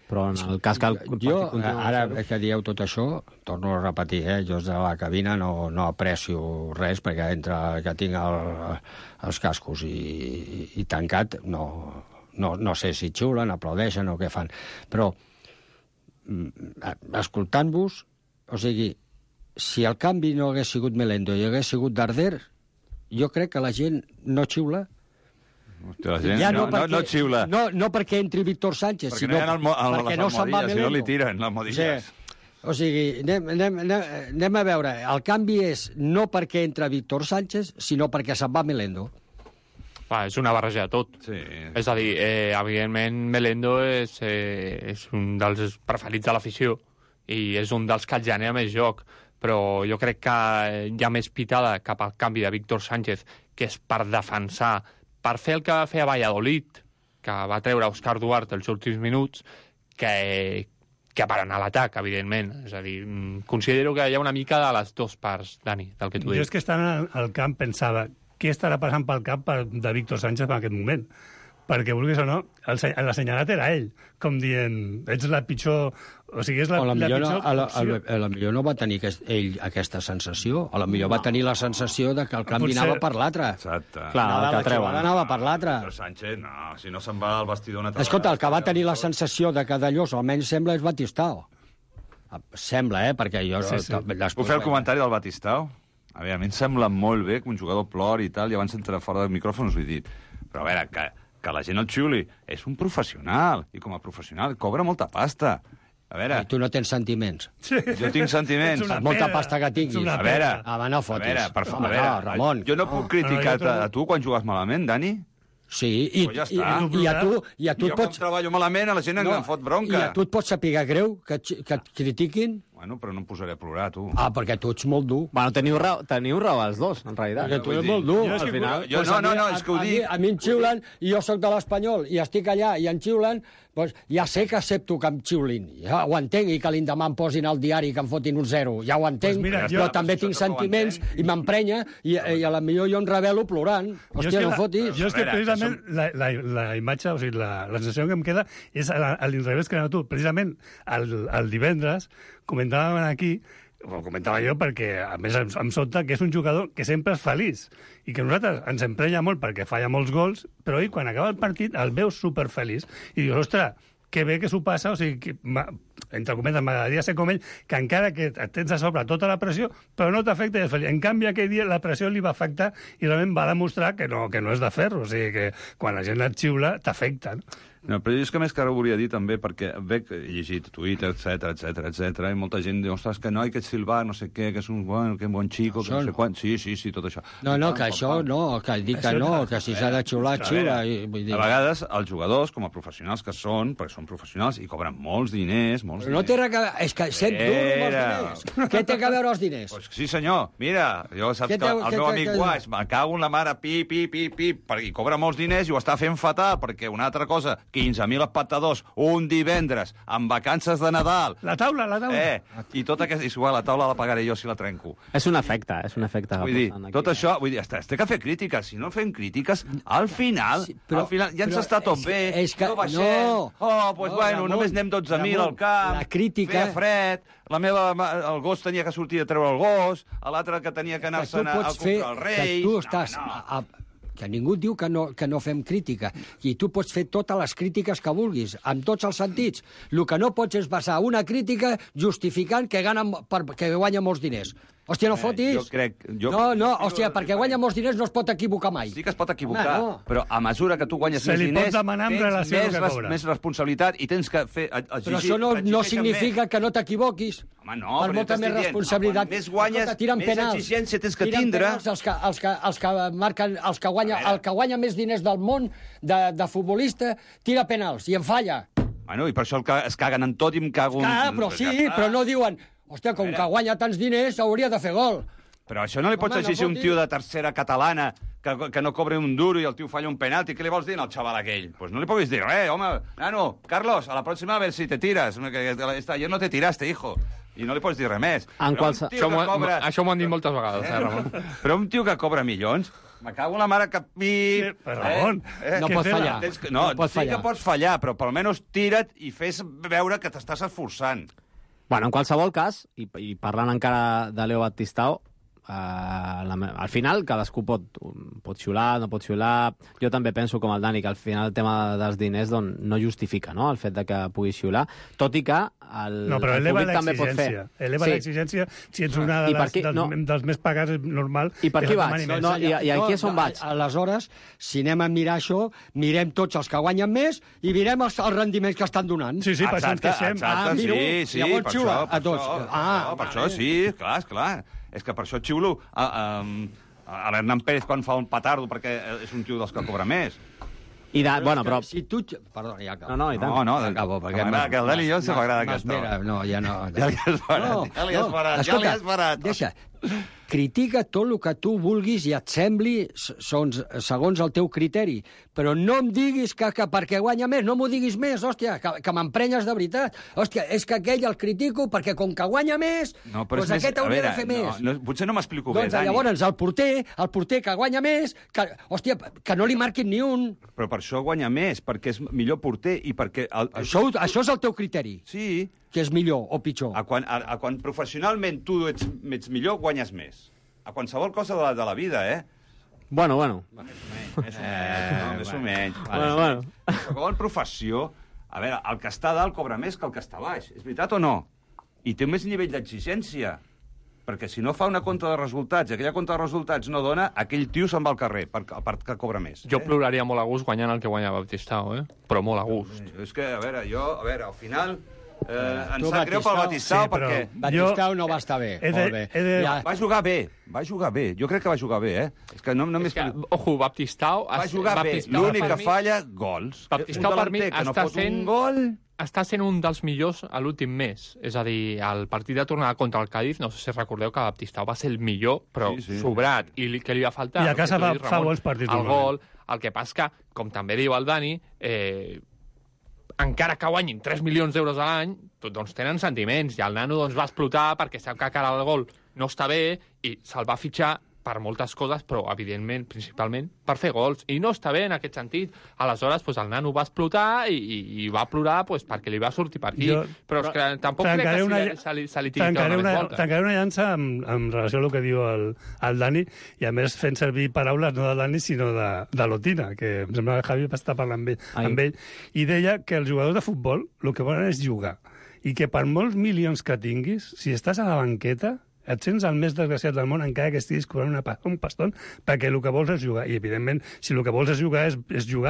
Però en el cas que el partit continua... Ara que dieu tot això, torno a repetir, jo des de la cabina no aprecio res, perquè entre que tinc els cascos i tancat, no sé si xiulen, aplaudeixen o què fan. Però, escoltant-vos, o sigui, si el canvi no hagués sigut Melendo i hagués sigut Darder, jo crec que la gent no xiula. Hòstia, la gent no xiula. No perquè entri Víctor Sánchez, sinó perquè no se'n va Melendo. Si no li tiren les modilles. O sigui, anem a veure. El canvi és no perquè entra Víctor Sánchez, sinó perquè se'n va Melendo. És una barreja de tot. Sí. És a dir, evidentment, Melendo és un dels preferits de l'afició i és un dels que el genera més joc, però jo crec que hi ha més pitada cap al canvi de Víctor Sánchez, que és per defensar, per fer el que va fer a Valladolid, que va treure Òscar Duarte els últims minuts, que per anar a l'atac, evidentment. És a dir, considero que hi ha una mica de les dues parts, Dani, del que tu dius. Jo és que estant al camp pensava, què estarà passant pel cap de Víctor Sánchez en aquest moment? Perquè, vulguis o no, l'assenyalat era ell, com dient, ets la pitjor... O sigui, és la pitjor opció. A la millor no va tenir ell aquesta sensació, a la millor va tenir la sensació de que el canvi anava per l'altre. Exacte. Clar, la jugada anava per l'altre. Però Sánchez, no, si no se'n va al vestidor una altra Escolta, el que va tenir la sensació de que d'allò almenys sembla és Batistao. Sembla, perquè jo... Puc fer el comentari del Batistao? A mi em sembla molt bé que un jugador plori i tal, i abans d'entrar fora del micròfon us ho he dit. Però a veure, que la gent el xiuli, és un professional, i com a professional cobra molta pasta. A veure... I tu no tens sentiments. Sí. Jo tinc sentiments. Molta pasta que tinguis. A veure... no fotis. A veure, per favor, Ramon. Jo no puc criticar a tu quan jugues malament, Dani? Sí, i a tu et pots... Jo com treballo malament, a la gent em fot bronca. I a tu et pots saber greu que et critiquin? Bueno, però no em posaré a plorar, tu. Ah, perquè tu ets molt dur. Bueno, teniu raó els dos, en realitat. Perquè tu ets molt dur. Al final... No, és que ho dic. A mi em xiulen, i jo sóc de l'Espanyol, i estic allà, i em xiulen, doncs ja sé que accepto que em xiulin. Ja ho entenc, i que l'endemà em posin al diari que em fotin un 0. Ja ho entenc, però també tinc sentiments, i m'emprenya, i a la millor jo em revelo plorant. Hòstia, no fotis. Jo és que precisament la imatge, o sigui, la sensació que em queda és a l'inrevés que tu. Precisament el divendres comentàvem aquí, ho comentava jo perquè, a més, em sobta que és un jugador que sempre és feliç i que nosaltres ens emprenya molt perquè falla molts gols, però ell, quan acaba el partit, el veus superfeliç. I dius, ostres, que bé que s'ho passa, o sigui, entre cometes, m'agradaria ser com ell, que encara que et tens a sobre tota la pressió, però no t'afecta i és feliç. En canvi, aquell dia la pressió li va afectar i realment va demostrar que no és de ferro, o sigui, que quan la gent et xiula, t'afecta, no? No, però és que més que ara ho volia dir també, perquè veig, he llegit Twitter, etc, i molta gent diu, ostres, que noi, que Silva, no sé què, que és un bon xico, que no sé quant... Sí, tot això. No, que això no, que dic que no, que si s'ha de xiular, xiula. A vegades, els jugadors, com a professionals que són, perquè són professionals i cobren molts diners, No té res a veure, és que sent dur molts diners. Què té a veure els diners? Pues sí, senyor, mira, jo saps que el meu amic Guaix, me cago en la mare, pip, i cobra molts diners i ho està fent fatal, perquè una altra cosa, 15.000 espectadors, un divendres, amb vacances de Nadal. La taula. I tot aquest... És igual, la taula la pagaré jo si la trenco. És un efecte. Vull dir, tot això... Vull dir, es té que fer crítiques. Si no fem crítiques, al final ja ens està tot bé. No baixem. Només anem 12.000 al camp. La crítica... Feia fred. El gos tenia que sortir a treure el gos. L'altre que tenia que anar-se'n a comprar els Reis. Que tu estàs... que ningú diu que no fem crítica. I tu pots fer totes les crítiques que vulguis, en tots els sentits. El que no pots és basar una crítica justificant que guanya molts diners. Hòstia, no fotis. Jo crec... Hòstia, perquè guanya molts diners no es pot equivocar mai. Sí que es pot equivocar, però a mesura que tu guanyes més diners, tens més responsabilitat i tens que fer... Però això no significa que no t'equivoquis. Home, no, per molta més responsabilitat. Més guanyes, més exigència tens que tindre. El que guanya més diners del món de futbolista tira penals i en falla. Bueno, i per això es caguen en tot i em cago... Però sí, però no diuen... Hòstia, com que guanya tants diners, hauria de fer gol. Però això no li pots exigir a un tio de tercera catalana que no cobra un duro i el tio falla un penalti. Què li vols dir al xaval aquell? Pues no li puguis dir res, home. Nano, Carlos, a la pròxima a ver si te tiras. Ayer no te tiraste, hijo. I no li pots dir res més. Això m'ho han dit moltes vegades, Ramon. Però un tio que cobra milions... Me cago en la mare que... Ramon, no pots fallar. Sí que pots fallar, però almenys tira't i fes veure que t'estàs esforçant. Bueno, en qualsevol cas, i parlant encara de Leo Batistao, al final cadascú pot xiular, no pot xiular. Jo també penso, com el Dani, que al final el tema dels diners no justifica, no?, el fet de que pugui xiular, tot i que el públic també pot fer. Eleva l'exigència, si ets una dels més pagats, és normal. I per aquí vaig? I aquí és on vaig. Aleshores, si anem a mirar això, mirem tots els que guanyen més i mirem els rendiments que estan donant. Sí, per això ens queixem. Sí, per això sí, clar. És que per això xiulo a l'Hernán Pérez quan fa un petardo, perquè és un tio dels que cobra més. Però... Si tu... Perdona, ja acabo. No, i tant. No, acabo, perquè... Que el Dani i jo se m'agrada aquesta. No, ja no. Ja li has parat. Deixa. Critica tot el que tu vulguis i et sembli segons el teu criteri, però no em diguis que perquè guanya més, no m'ho diguis més, hòstia, que m'emprenyes de veritat. Hòstia, és que aquell el critico perquè com que guanya més, doncs aquest hauria de fer més. Potser no m'explico bé, Dani. Llavors el porter que guanya més, hòstia, que no li marquin ni un. Però per això guanya més, perquè és millor porter i perquè... Això és el teu criteri. Sí. Que és millor o pitjor. Quan professionalment tu ets millor, guanyes més. A qualsevol cosa de la vida, Bueno. Més o menys. Bueno. Qualsevol professió, a veure, el que està a dalt cobra més que el que està a baix. És veritat o no? I té més nivell d'exigència. Perquè si no fa una compta de resultats i aquella compta de resultats no dona, aquell tio se'n va al carrer, perquè cobra més. Jo ploraria molt a gust guanyant el que guanya Batistao, Però molt a gust. És que, al final... Em sap greu pel Batistao, perquè... Batistao no va estar bé. Molt bé. Va jugar bé. Jo crec que va jugar bé, És que no m'he... Ojo, Batistao... Va jugar bé. L'únic que falla, gols. Baptistao, per mi, està sent un dels millors a l'últim mes. És a dir, al partit de tornada contra el Cádiz, no sé si recordeu que Baptistao va ser el millor, però sobrat. I què li va faltar? I a casa fa bons partits. El gol. El que passa que, com també diu el Dani, encara que guanyin 3 milions d'euros a l'any, doncs tenen sentiments. I el nano va explotar perquè sap que cara al gol no està bé i se'l va fitxar per moltes coses, però, evidentment, principalment, per fer gols. I no està bé en aquest sentit. Aleshores, el nano va explotar i va plorar perquè li va sortir per aquí. Però és que tampoc crec que se li tiri tota una volta. Tancaré una llança en relació al que diu el Dani, i a més fent servir paraules no de Dani, sinó de Lotina, que em sembla que Javi va estar parlant amb ell, i deia que els jugadors de futbol el que volen és jugar, i que per molts milions que tinguis, si estàs a la banqueta, et sents el més desgraciat del món encara que estiguis cobrant un paston, perquè el que vols és jugar. I, evidentment, si el que vols és jugar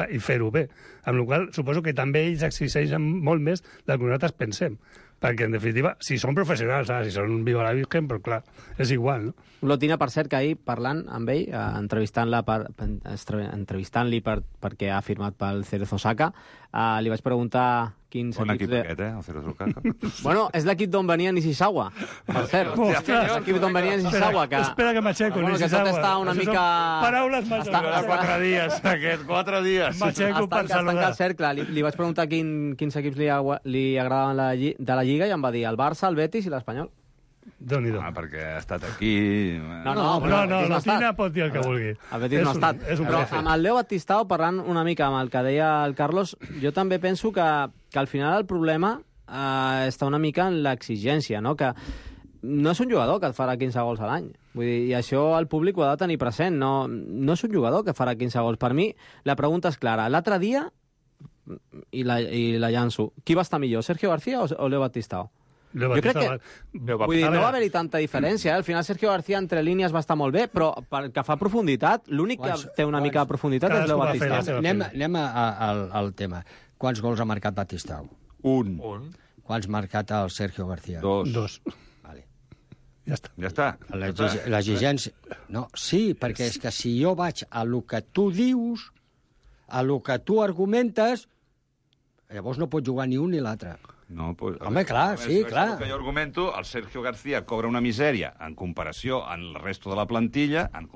i fer-ho bé. Amb la qual cosa, suposo que també ells exigeixen molt més del que nosaltres pensem. Perquè, en definitiva, si són professionals, si són Viva la Virgen, però clar, és igual, no? Lotina, per cert, que ahir, parlant amb ell, entrevistant-li perquè ha firmat pel Cerezo Osaka, li vaig preguntar quins bon equips... Bon equip aquest, el Cerezo Osaka. Bueno, és l'equip d'on venia Nishizawa, per cert. L'equip d'on venia Nishizawa, que... Espera que m'aixeco, Nishizawa. Que tot està una mica... Paraules massa. Està 4 dies, aquest, 4 dies. M'aixeco per saludar. Està el cercle. Li vaig preguntar quins equips li agradaven de la Lliga i em va dir el Barça, el Betis i l'Espanyol. Déu-n'hi-do. Perquè ha estat aquí... No, Lotina pot dir el que vulgui. El Betis no ha estat. Però amb el Leo Batistao, parlant una mica amb el que deia el Carlos, jo també penso que al final el problema està una mica en l'exigència, no? Que no és un jugador que et farà 15 gols a l'any. Vull dir, i això el públic ho ha de tenir present. No és un jugador que farà 15 gols. Per mi, la pregunta és clara. L'altre dia, i la llanço, qui va estar millor, Sergio García o Leo Batistao? Jo crec que vull dir, no va haver-hi tanta diferència. Al final Sergio García entre línies va estar molt bé, però pel que fa a profunditat, l'únic que té una mica de profunditat és Leo Batistao. Anem al tema. Quants gols ha marcat Batistao? Un. Quants ha marcat el Sergio García? 2. Vale. Ja està. L'exigència... No, sí, perquè és que si jo vaig a lo que tu dius, a lo que tu argumentes, llavors no pot jugar ni un ni l'altre. No, pues, home, clar, sí, clar. El que jo argumento, el Sergio García cobra una misèria en comparació amb el resto de la plantilla, el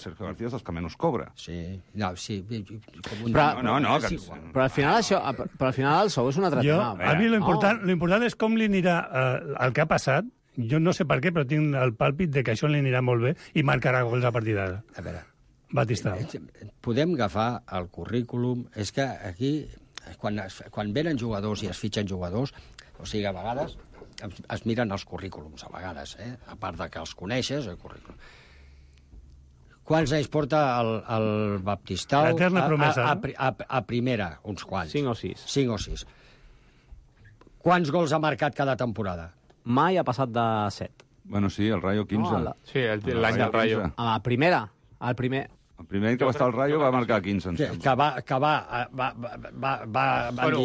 Sergio García és dels que menys cobra. Sí, no, sí. Però al final això, però al final el sou és un altre tema. A mi l'important és com li anirà el que ha passat. Jo no sé per què, però tinc el pàlpit de que això li anirà molt bé i marcarà gols a partir d'ara. A veure, Batistao. Podem agafar el currículum. És que aquí... Quan venen jugadors i es fitxen jugadors, o sigui, a vegades es miren els currículums, a vegades, a part de que els coneixes, el currículum. Quants anys porta el Baptistao a primera? Uns quants. 5 o 6. 5 o 6. Quants gols ha marcat cada temporada? Mai ha passat de 7. Bueno, sí, el Rayo 15. Sí, l'any del Rayo. A la primera, el primer any que va estar al Rayo va marcar 15. Que va dir...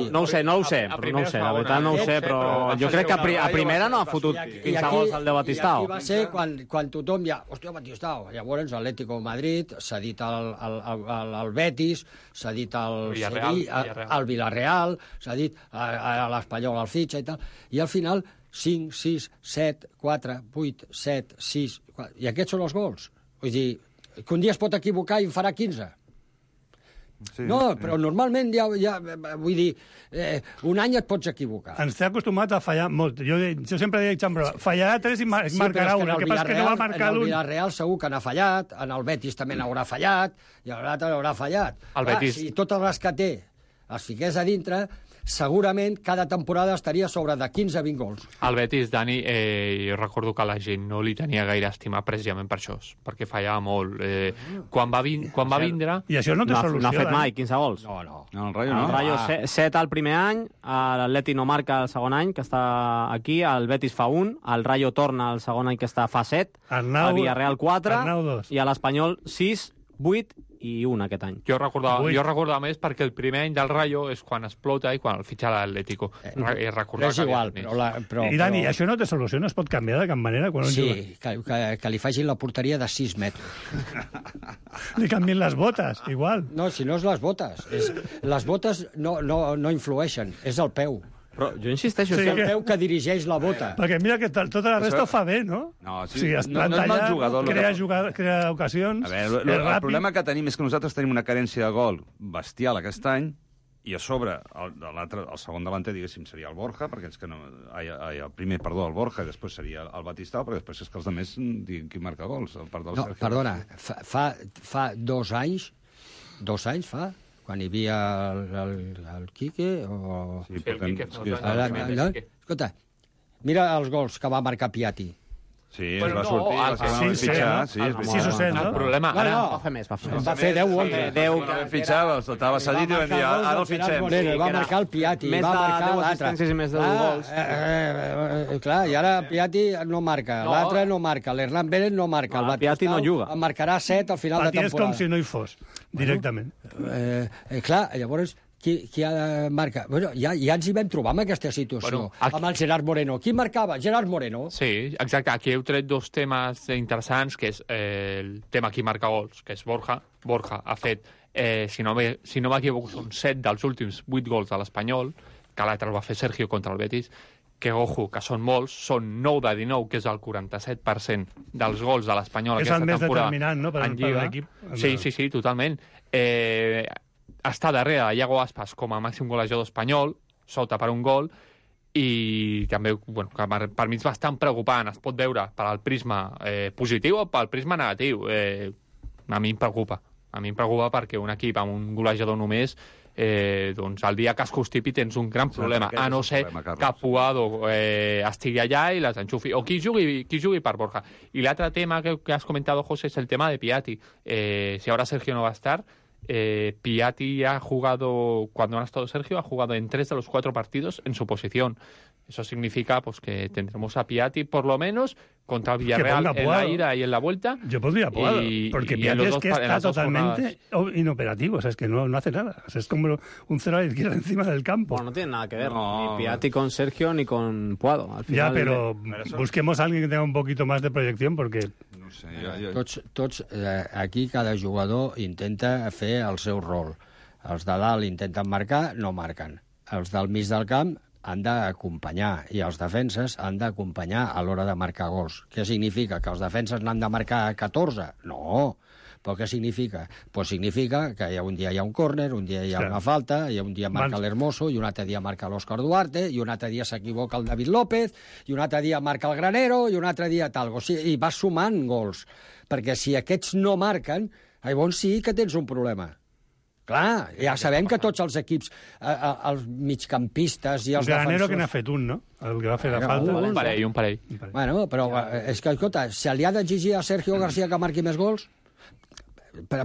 No ho sé, la veritat no ho sé, però jo crec que a primera no ha fotut 15 gols al de Batistao. I aquí va ser quan tothom ja... Hòstia, Batistao. Llavors l'Atlético de Madrid s'ha dit al Betis, s'ha dit al Villarreal, s'ha dit a l'Espanyol al fitxa i tal. I al final 5, 6, 7, 4, 8, 7, 6... I aquests són els gols. Vull dir, que un dia es pot equivocar i en farà 15. Sí, no, però normalment ja vull dir, un any et pots equivocar. Ens té acostumat a fallar molt. Jo sempre dic, fallarà 3 i marcarà 1. El que passa és que no va marcar l'1. En el Villarreal segur que n'ha fallat, en el Betis també n'haurà fallat, i l'altre n'haurà fallat. Si totes les que té les fiqués a dintre, segurament cada temporada estaria sobre de 15 a 20 gols. El Betis, Dani, jo recordo que la gent no li tenia gaire estima precisament per això, perquè fallava molt. Quan va vindre... I això no té solució. No ha fet mai 15 gols. No. El Rayo no. El Rayo 7 el primer any, l'Atleti no marca el segon any, que està aquí, el Betis fa 1, el Rayo torna el segon any, que està fa 7, el Villarreal 4, i a l'Espanyol 6, 8 i 1 aquest any. Jo recordava més perquè el primer any del Rayo és quan explota i quan el fitxa l'Atlético. És igual, però... I Dani, això no té solució? No es pot canviar de cap manera? Quan sí, que li facin la porteria de 6 metres. Li canvien les botes, igual. No, si no és les botes. Les botes no influeixen, és el peu. Però jo insisteixo... És el peu que dirigeix la bota. Perquè mira que tota la resta ho fa bé, no? No, sí. O sigui, es planta allà, crea ocasions... A veure, el problema que tenim és que nosaltres tenim una carència de gol bestial aquest any, i a sobre, el segon davanter, diguéssim, seria el Borja, perquè és que no... el primer, perdó, el Borja, i després seria el Batistao, perquè després és que els altres diguin qui marca gols. El part del no, Sergio. Perdona, fa 2 anys, quan hi havia el Quique, o... Sí, el Quique. Escolta, mira els gols que va marcar Piatti. Sí, es va sortir, va fitxar. Sí, o 7, no? El problema... Va fer més. Va fer 10 o 11. 10 que fitxava, estava cedit i vam dir, ara el fitxem. Va marcar el Piatti, més va marcar de 10 l'altre. assistències i més de 10 gols. Clar, i ara Piatti no marca, l'altre no marca, l'Hernán Pérez no marca, el Piatti no juga. En marcarà 7 al final de temporada. Piatti és com si no hi fos, directament. Clar, llavors... Qui ha de marcar? Bueno, ja ens hi vam trobar amb aquesta situació, amb el Gerard Moreno. Qui marcava? Gerard Moreno. Sí, exacte. Aquí heu tret 2 temes interessants, que és el tema qui marca gols, que és Borja. Borja ha fet, si no m'equivoco, són 7 dels últims 8 gols de l'Espanyol, que l'altre el va fer Sergio contra el Betis, que, ojo, que són molts, són 9 de 19, que és el 47% dels gols de l'Espanyol aquesta temporada. És el més determinant, no?, per l'equip. Sí, totalment. Està darrere de Iago Aspas com a màxim golejador espanyol, sota per un gol, i també, bueno, que per mi és bastant preocupant. Es pot veure per al prisma positiu o pel prisma negatiu. A mi em preocupa. A mi em preocupa perquè un equip amb un golejador només, doncs el dia que es constipi tens un gran problema, a no ser que Puado estigui allà i les enxufi, o qui jugui per Borja. I l'altre tema que has comentado, José, es el tema de Piatti. Si ahora Sergio no va a estar, Piatti ha jugado, cuando no ha estado Sergio, ha jugado en 3 de los 4 partidos en su posición. Eso significa pues que tendremos a Piatti por lo menos contra el Villarreal en la ida y en la vuelta. Yo podría Puado, porque Piatti es que está totalmente inoperativo, o sea, es que no hace nada. O sea, es como un cero a la izquierda encima del campo. Bueno, no tiene nada que ver, ni Piatti con Sergio ni con Puado. Al final, ya, pero busquemos a alguien que tenga un poquito más de proyección, porque... No sé, Tots aquí cada jugador intenta fer el seu rol. Els de dalt intenten marcar, no marquen. Els del mig del camp han d'acompanyar, i els defenses han d'acompanyar a l'hora de marcar gols. Què significa? Que els defenses n'han de marcar 14? No. Però què significa? Pues significa que un dia hi ha un córner, un dia hi ha una falta, i un dia marca l'Hermoso, i un altre dia marca l'Òscar Duarte, i un altre dia s'equivoca el David López, i un altre dia marca el Granero, i un altre dia tal. O sigui, i vas sumant gols. Perquè si aquests no marquen, llavors sí que tens un problema. Clar, ja sabem que tots els equips, els migcampistes i els defensors... Granero que n'ha fet un, no? El que va fer la falta. Un parell. Bueno, però és que, escolta, se li ha d'exigir a Sergio García que marqui més gols?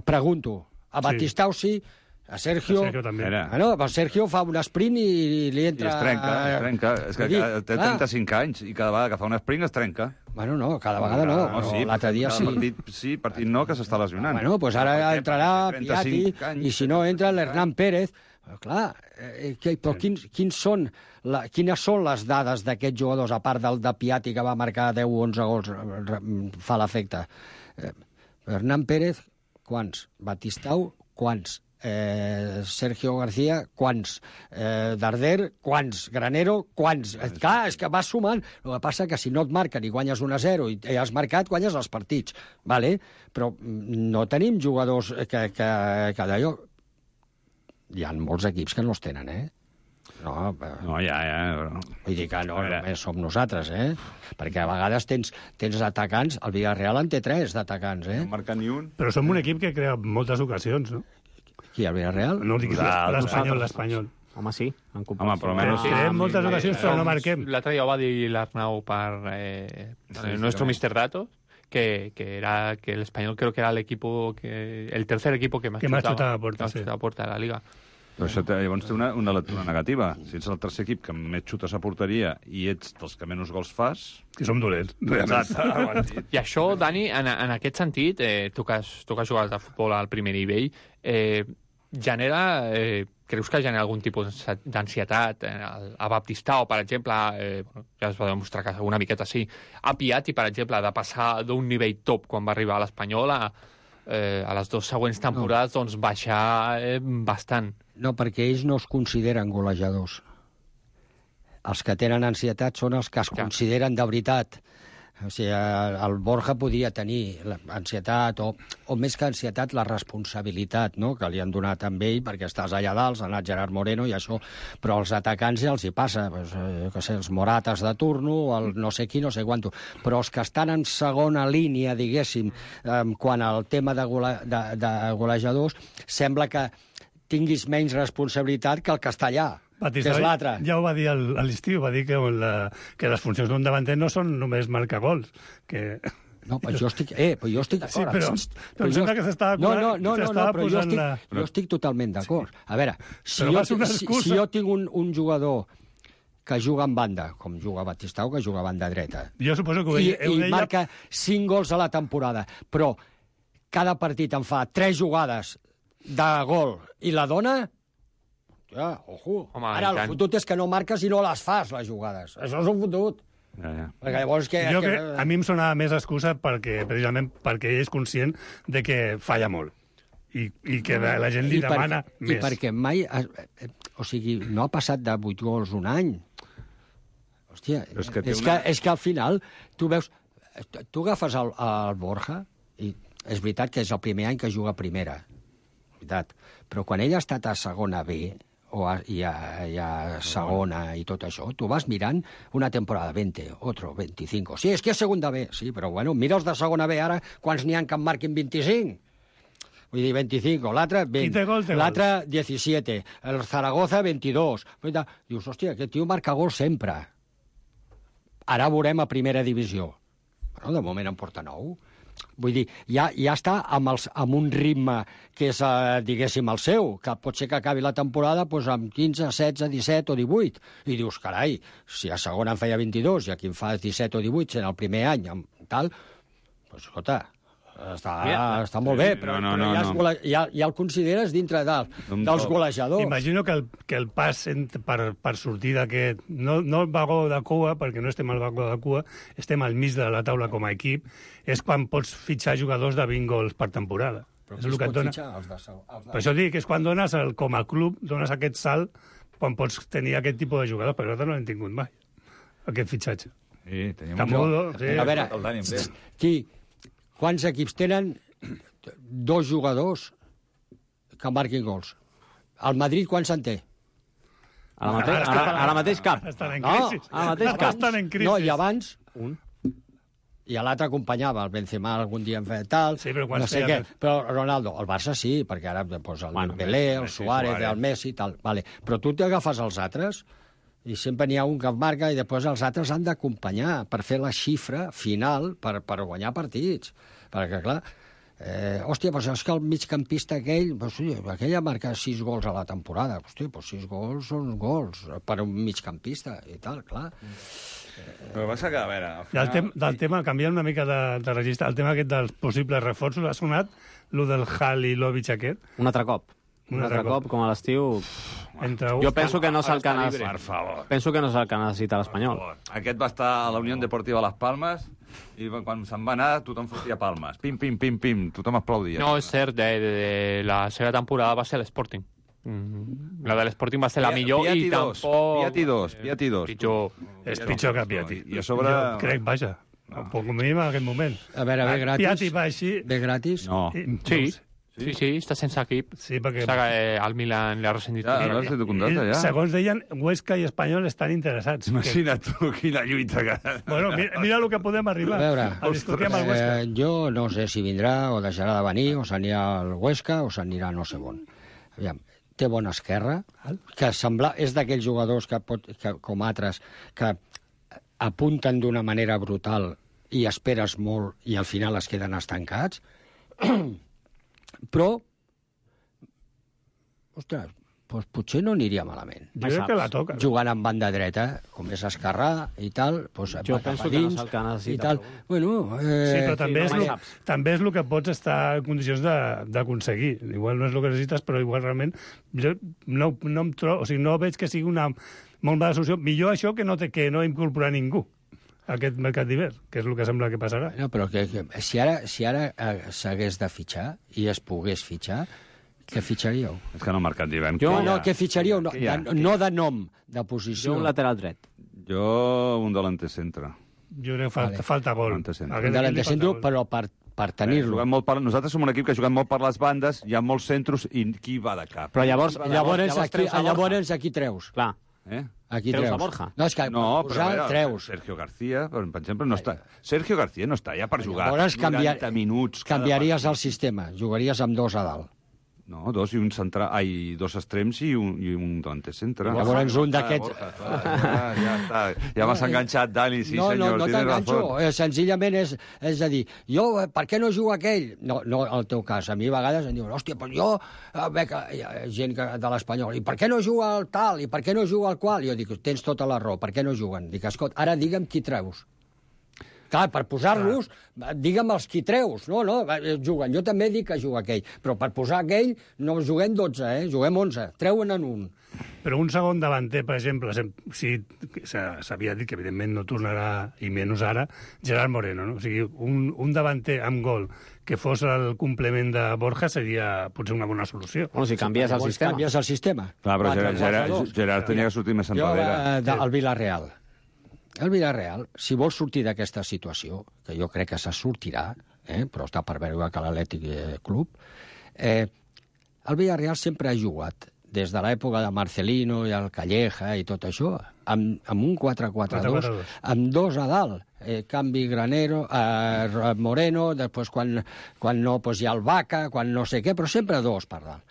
Pregunto. A Batistao sí, a Sergio... també. Bueno, a Sergio fa un sprint i li entra... I es trenca. És que té 35 anys i cada vegada que fa un sprint es trenca. Bueno, no, cada vegada no. Sí, l'altre dia sí. Partit no, que s'està lesionant. Bueno, doncs ara entrarà Piatti i si no entra l'Hernán Pérez. Però clar, però quines són les dades d'aquests jugadors, a part del de Piatti que va marcar 10 o 11 gols, fa l'efecte? Hernán Pérez, quants? Batistao, quants? Sergio García, quants? Darder, quants? Granero, quants? Clar, és que vas sumant. El que passa que si no et marquen i guanyes 1-0 i has marcat, guanyes els partits. Vale? Però no tenim jugadors que d'allò... Hi ha molts equips que no els tenen, No, ja. Vull dir que no només som nosaltres, Perquè a vegades tens atacants, el Villarreal en té 3 d'atacants, No marca ni un. Però som un equip que crea moltes ocasions, no? Qui, el Villarreal? No, dic l'Espanyol. Home, sí. Home, però almenys... Creem moltes ocasions, però no marquem. L'altre dia ho va dir l'Arnau per nuestro Mr. Datos, que el Español creo que era el tercer equipo que más chutaba a puerta de la Liga. Però això llavors té una lectura negativa. Si ets el tercer equip que més xutes a porteria i ets dels que menys gols fas... Que som dolents. I això, Dani, en aquest sentit, tu que has jugat a futbol al primer nivell, creus que genera algun tipus d'ansietat a Baptistao, per exemple, ja es va demostrar que una miqueta sí, a Piatti, per exemple, de passar d'un nivell top quan va arribar a l'Espanyol a les 2 següents temporades, doncs baixar bastant. No, perquè ells no es consideren golejadors. Els que tenen ansietat són els que es consideren de veritat. O sigui, el Borja podia tenir ansietat, o més que ansietat, la responsabilitat, no?, que li han donat amb ell, perquè estàs allà dalt, ha anat Gerard Moreno i això, però als atacants ja els hi passa, els Morates de turno, el no sé qui, no sé quanto. Però els que estan en segona línia, diguéssim, quan al tema de golejadors, sembla que tinguis menys responsabilitat que el que està allà. Batista, que és l'altre. Ja ho va dir a l'estiu, va dir que les funcions d'un davanter no són només marcar gols, que... No, però jo estic d'acord. Sí, però em sembla que s'estava posant la... Jo estic totalment d'acord. A veure, si jo tinc un jugador que juga en banda, com juga Batistau, que juga a banda dreta, jo suposo que i marca 5 gols a la temporada, però cada partit em fa 3 jugades de gol i la dona... Ja, ojo. Home, ara el fotut és que no marques i no les fas, les jugades. Això és un fotut. Perquè llavors a mi em sonava més excusa precisament perquè ell és conscient de que falla molt i que la gent li demana més. I perquè mai... O sigui, no ha passat de 8 gols un any. Hòstia, és que al final tu veus... Tu agafes el Borja i és veritat que és el primer any que juga a primera. Veritat. Però quan ell ha estat a segona B i a segona i tot això, tu vas mirant una temporada 20, otro 25. Sí, és que és segunda B, sí, però bueno, mira els de segona B ara, quants n'hi ha que en marquin 25? Vull dir, 25, l'altre 20, l'altre 17, el Zaragoza 22. Dius, hòstia, aquest tio marca gols sempre. Ara veurem a primera divisió. Bueno, de moment en porta 9. Vull dir, ja està amb un ritme que és, diguéssim, el seu, que pot ser que acabi la temporada amb 15, 16, 17 o 18. I dius, carai, si a segona en feia 22 i aquí en fa 17 o 18 en el primer any, tal, doncs, escolta, està molt bé, però ja el consideres dintre dels golejadors. Imagino que el pas per sortir d'aquest... No el vagó de cua, perquè no estem al vagó de cua, estem al mig de la taula com a equip, és quan pots fitxar jugadors de 20 gols per temporada. Però és el que et dona. Per això dic que és quan dones, com a club, dones aquest salt quan pots tenir aquest tipus de jugadors, perquè nosaltres no l'hem tingut mai, aquest fitxatge. Sí, tenim Camudo, sí. A veure, quants equips tenen 2 jugadors que marquin gols? El Madrid quants en té? Ara mateix cap. Estan en crisi. Ara mateix cap. Estan en crisi. No, i abans... Un. I l'altre acompanyava, el Benzema algun dia en feia tal... Sí, però no sé què. Però Ronaldo, el Barça sí, perquè ara el Dembélé, el Suárez, el Messi, tal. Vale. Però tu t'agafes els altres i sempre n'hi ha un que marca i després els altres han d'acompanyar per fer la xifra final per guanyar partits. Perquè, clar, hòstia, però és que el migcampista aquell, aquella marca 6 gols a la temporada. Hòstia, però 6 gols són gols per un migcampista i tal, clar. Però passa que, a veure... Final... Del tema, canviant una mica de registre, el tema aquest dels possibles reforços, ha sonat lo del Halilovic aquest? Un altre cop. Un altre cop, com a l'estiu... Jo penso que no és el que necessita l'Espanyol. Aquest va estar a la Unió Deportiva Las Palmes i quan se'n va anar tothom fotia palmes. Pim, pim, pim, pim. Tothom aplaudia. No, és cert, la seva temporada va ser l'Sporting. La de l'Sporting va ser la millor i tampoc... Piatti 2. És pitjor que Piatti. I a sobre... Jo crec, vaja, un poc mínim en aquest moment. A veure, ve gratis? Piatti va així... Ve gratis? No. Sí, està sense equip. Sí, perquè... El Milan li ha rescindit. Ja. Segons deien, Huesca i Espanyol estan interessats. Imagina't tu quina lluita que... Bueno, mira el que podem arribar a discutir amb el Huesca. Jo no sé si vindrà o deixarà de venir, o s'anirà al Huesca o s'anirà no sé on. Aviam, té bona esquerra, que és d'aquells jugadors que com altres, que apunten d'una manera brutal i esperes molt i al final es queden estancats. Però, ostres, doncs potser no aniria malament. Jo crec que la toca. Jugant amb banda dreta, com és esquerrà i tal, doncs jo penso que no és el que necessita. Bueno, sí, però també és el que pots estar en condicions d'aconseguir. Igual no és el que necessites, però igual realment jo no em trobo, o sigui, no veig que sigui una molt mala solució. Millor això que no incorporar ningú a aquest mercat d'hivern, que és el que sembla que passarà. No, però si ara s'hagués de fitxar i es pogués fitxar, què fitxaríeu? És que no, mercat d'hivern. Què fitxaríeu? No de nom, de posició. Jo un lateral dret. Jo un delanter centre. Jo crec que falta gol. Un delanter centre, però per tenir-lo. Nosaltres som un equip que juguem molt per les bandes, hi ha molts centros, i qui va de cap? Però llavors aquí treus. Clar. Aquí treus a Borja. No, és que treus. Sergio García, per exemple, no està. Sergio García no està ja per jugar llavors 90 minuts. Canviaries el sistema, jugaries amb dos a dalt. No, dos i un central, dos extrems i un delanter centre. Llavors un d'aquests... Ja està, ja m'has enganxat, Dani, sí senyor. No t'enganxo, senzillament és a dir, jo, per què no jugo aquell? No, el teu cas, a mi a vegades em diuen, hòstia, però jo, gent de l'Espanyol, i per què no juga el tal, i per què no juga el qual? Jo dic, tens tota la raó, per què no juguen? Dic, escolta, ara digue'm qui treus. Clar, per posar-los, digue'm els qui treus. No, juguen. Jo també dic que juga aquell. Però per posar aquell no juguem 12, juguem 11. Treuen en un. Però un segon davanter, per exemple, si s'havia dit que evidentment no tornarà, i menys ara, Gerard Moreno, no? O sigui, un davanter amb gol que fos el complement de Borja seria potser una bona solució. Bueno, si canvies el sistema. Canvies el sistema. Clar, però Gerard tenia que sortir més enrere. El Villarreal. El Villarreal, si vol sortir d'aquesta situació, que jo crec que se sortirà, però està per veure que l'Atlètic Club, el Villarreal sempre ha jugat, des de l'època de Marcelino i el Calleja i tot això, amb un 4-4-2, amb dos a dalt. Canvi Granero, Moreno, després quan no hi ha el Vaca, quan no sé què, però sempre dos per dalt.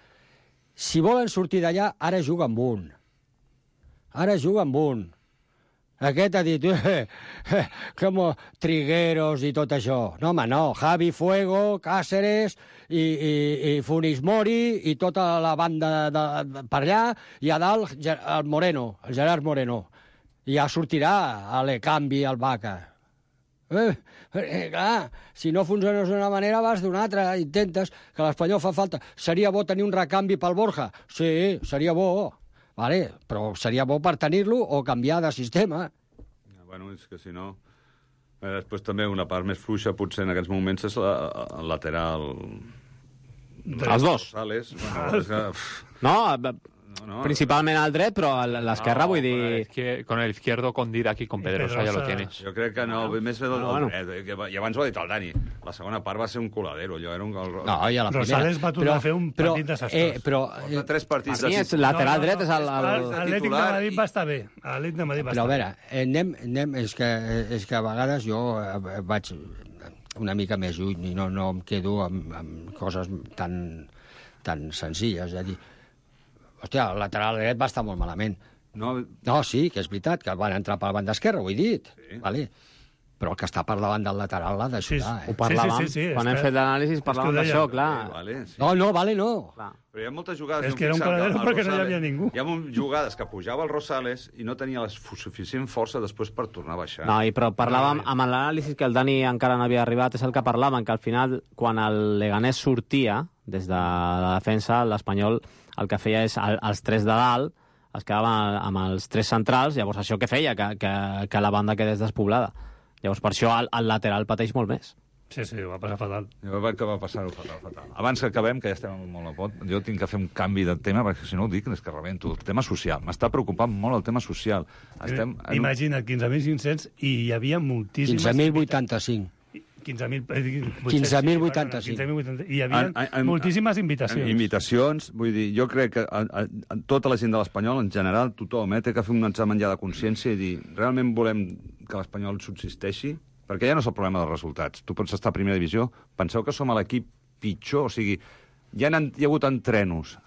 Si volen sortir d'allà, ara juga amb un. Aquest ha dit, com Trigueros i tot això. No, home, no. Javi Fuego, Cáceres i Funes Mori i tota la banda per allà, i a dalt el Gerard Moreno. I ja sortirà l'Ecanvi, el Vaca. Clar, si no funciones d'una manera, vas d'una altra. Intentes que l'Espanyol fa falta. Seria bo tenir un recanvi pel Borja? Sí, seria bo. Vale, però seria bo per tenir-lo o canviar de sistema. Bueno, és que si no... Després també una part més fluixa, potser en aquests moments, és el lateral... Els dos. Sales. Bueno, és que... No, principalment al dret, però a l'esquerra, vull dir... Con el izquierdo, con Didac i con Pedrosa ja lo tienes. Jo crec que no, més bé del dret. I abans ho ha dit el Dani. La segona part va ser un coladero. Allò era un... No, i a la primera... Rosales va tornar a fer un partit desastrós. Però... Tres partits a mi és lateral dret, és el Atlètic de Madrid va estar bé. Atlètic de Madrid va estar bé. Però a veure, anem... És que a vegades jo vaig una mica més lluny i no em quedo amb coses tan senzilles. És a dir, hòstia, el lateral dret va estar molt malament. No, sí, que és veritat, que van entrar per la banda esquerra, ho he dit. Sí. Vale. Però el que està per davant del lateral l'ha d'ajudar. Ho parlàvem. Quan hem fet l'anàlisi parlàvem d'això, clar. No. Clar. Però hi ha moltes jugades... És que era un coladero perquè no hi havia ningú. Hi ha jugades que pujava el Rosales i no tenia la suficient força després per tornar a baixar. No, però parlàvem amb l'anàlisi que el Dani encara no havia arribat, és el que parlàvem, que al final, quan el Leganés sortia des de la defensa, l'Espanyol el que feia és els tres de dalt, es quedava amb els tres centrals, llavors això què feia? Que la banda quedés despoblada. Llavors per això el lateral pateix molt més. Sí, ho va passar fatal. Jo crec que va passar-ho fatal. Abans que acabem, que ja estem molt a pot, jo tinc que fer un canvi de tema, perquè si no ho dic és que rebento. El tema social. M'està preocupant molt el tema social. Imagina't, 15.500 i hi havia moltíssimes... 15.085. 15.085. I hi havia moltíssimes invitacions. Invitacions, vull dir, jo crec que tota la gent de l'Espanyol, en general, tothom, té que fer un examen ja de consciència i dir, realment volem que l'Espanyol subsisteixi? Perquè ja no és el problema dels resultats. Tu pots estar a primera divisió, penseu que som l'equip pitjor, o sigui, hi ha hagut entrenos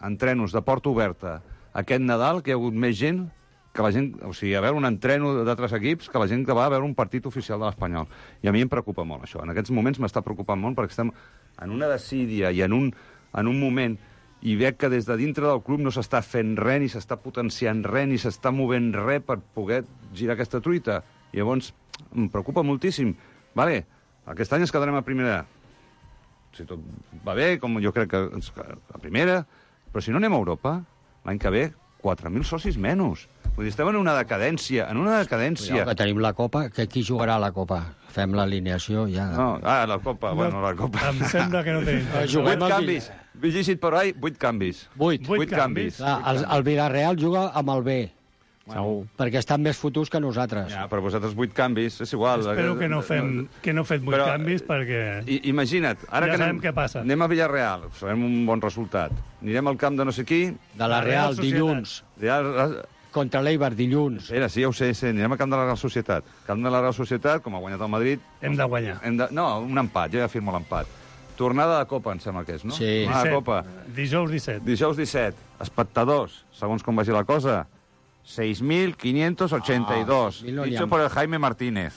de porta oberta aquest Nadal, que hi ha hagut més gent que la gent, o sigui, a veure un entreno d'altres equips que la gent que va a veure un partit oficial de l'Espanyol. I a mi em preocupa molt això. En aquests moments m'està preocupant molt perquè estem en una desídia i en un moment i veig que des de dintre del club no s'està fent res, ni s'està potenciant res, ni s'està movent res per poder girar aquesta truita. I llavors em preocupa moltíssim. Vale, aquest any ens quedarem a primera. Si tot va bé, com jo crec que a primera, però si no anem a Europa, l'any que ve, 4.000 socis menys. Vull dir, estem en una decadència, Que tenim la Copa, que qui jugarà a la Copa? Fem l'alineació ja. No, la Copa, bueno, la Copa. Em sembla que no tenim. 8 canvis. Vigícit per ahí, 8 canvis. 8 canvis. El Villarreal juga amb el B. Segur. Perquè estan més fotuts que nosaltres. Ja, però vosaltres 8 canvis, és igual. Espero que no fet 8 canvis, perquè... Imagina't, ara ja que sabem què passa. Anem a Villarreal, sabem un bon resultat. Anirem al camp de no sé qui... De la Real, dilluns. Contra l'Eibar, dilluns. Era, sí, ja ho sé, anirem al camp de la Real Societat. Camp de la Real Societat, com ha guanyat el Madrid... Hem de guanyar. No, un empat, jo ja firmo l'empat. Tornada de Copa, em sembla que és, no? Sí. Tornada de Copa. Dijous 17. Dijous 17. Espectadors, segons com vagi la cosa, 6.582. Dicho por el Jaime Martínez.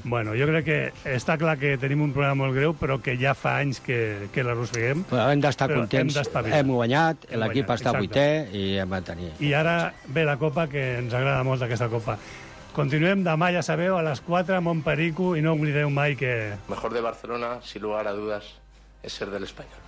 Bueno, jo crec que està clar que tenim un problema molt greu, però que ja fa anys que l'arrosseguem. Però hem d'estar contents. Hem guanyat, l'equip està vuitè i hem de tenir. I ara ve la Copa, que ens agrada molt aquesta Copa. Continuem demà, ja sabeu, a les 4 a Montperico, i no oblideu mai que... Mejor de Barcelona, sin lugar a dudas, es ser del Español.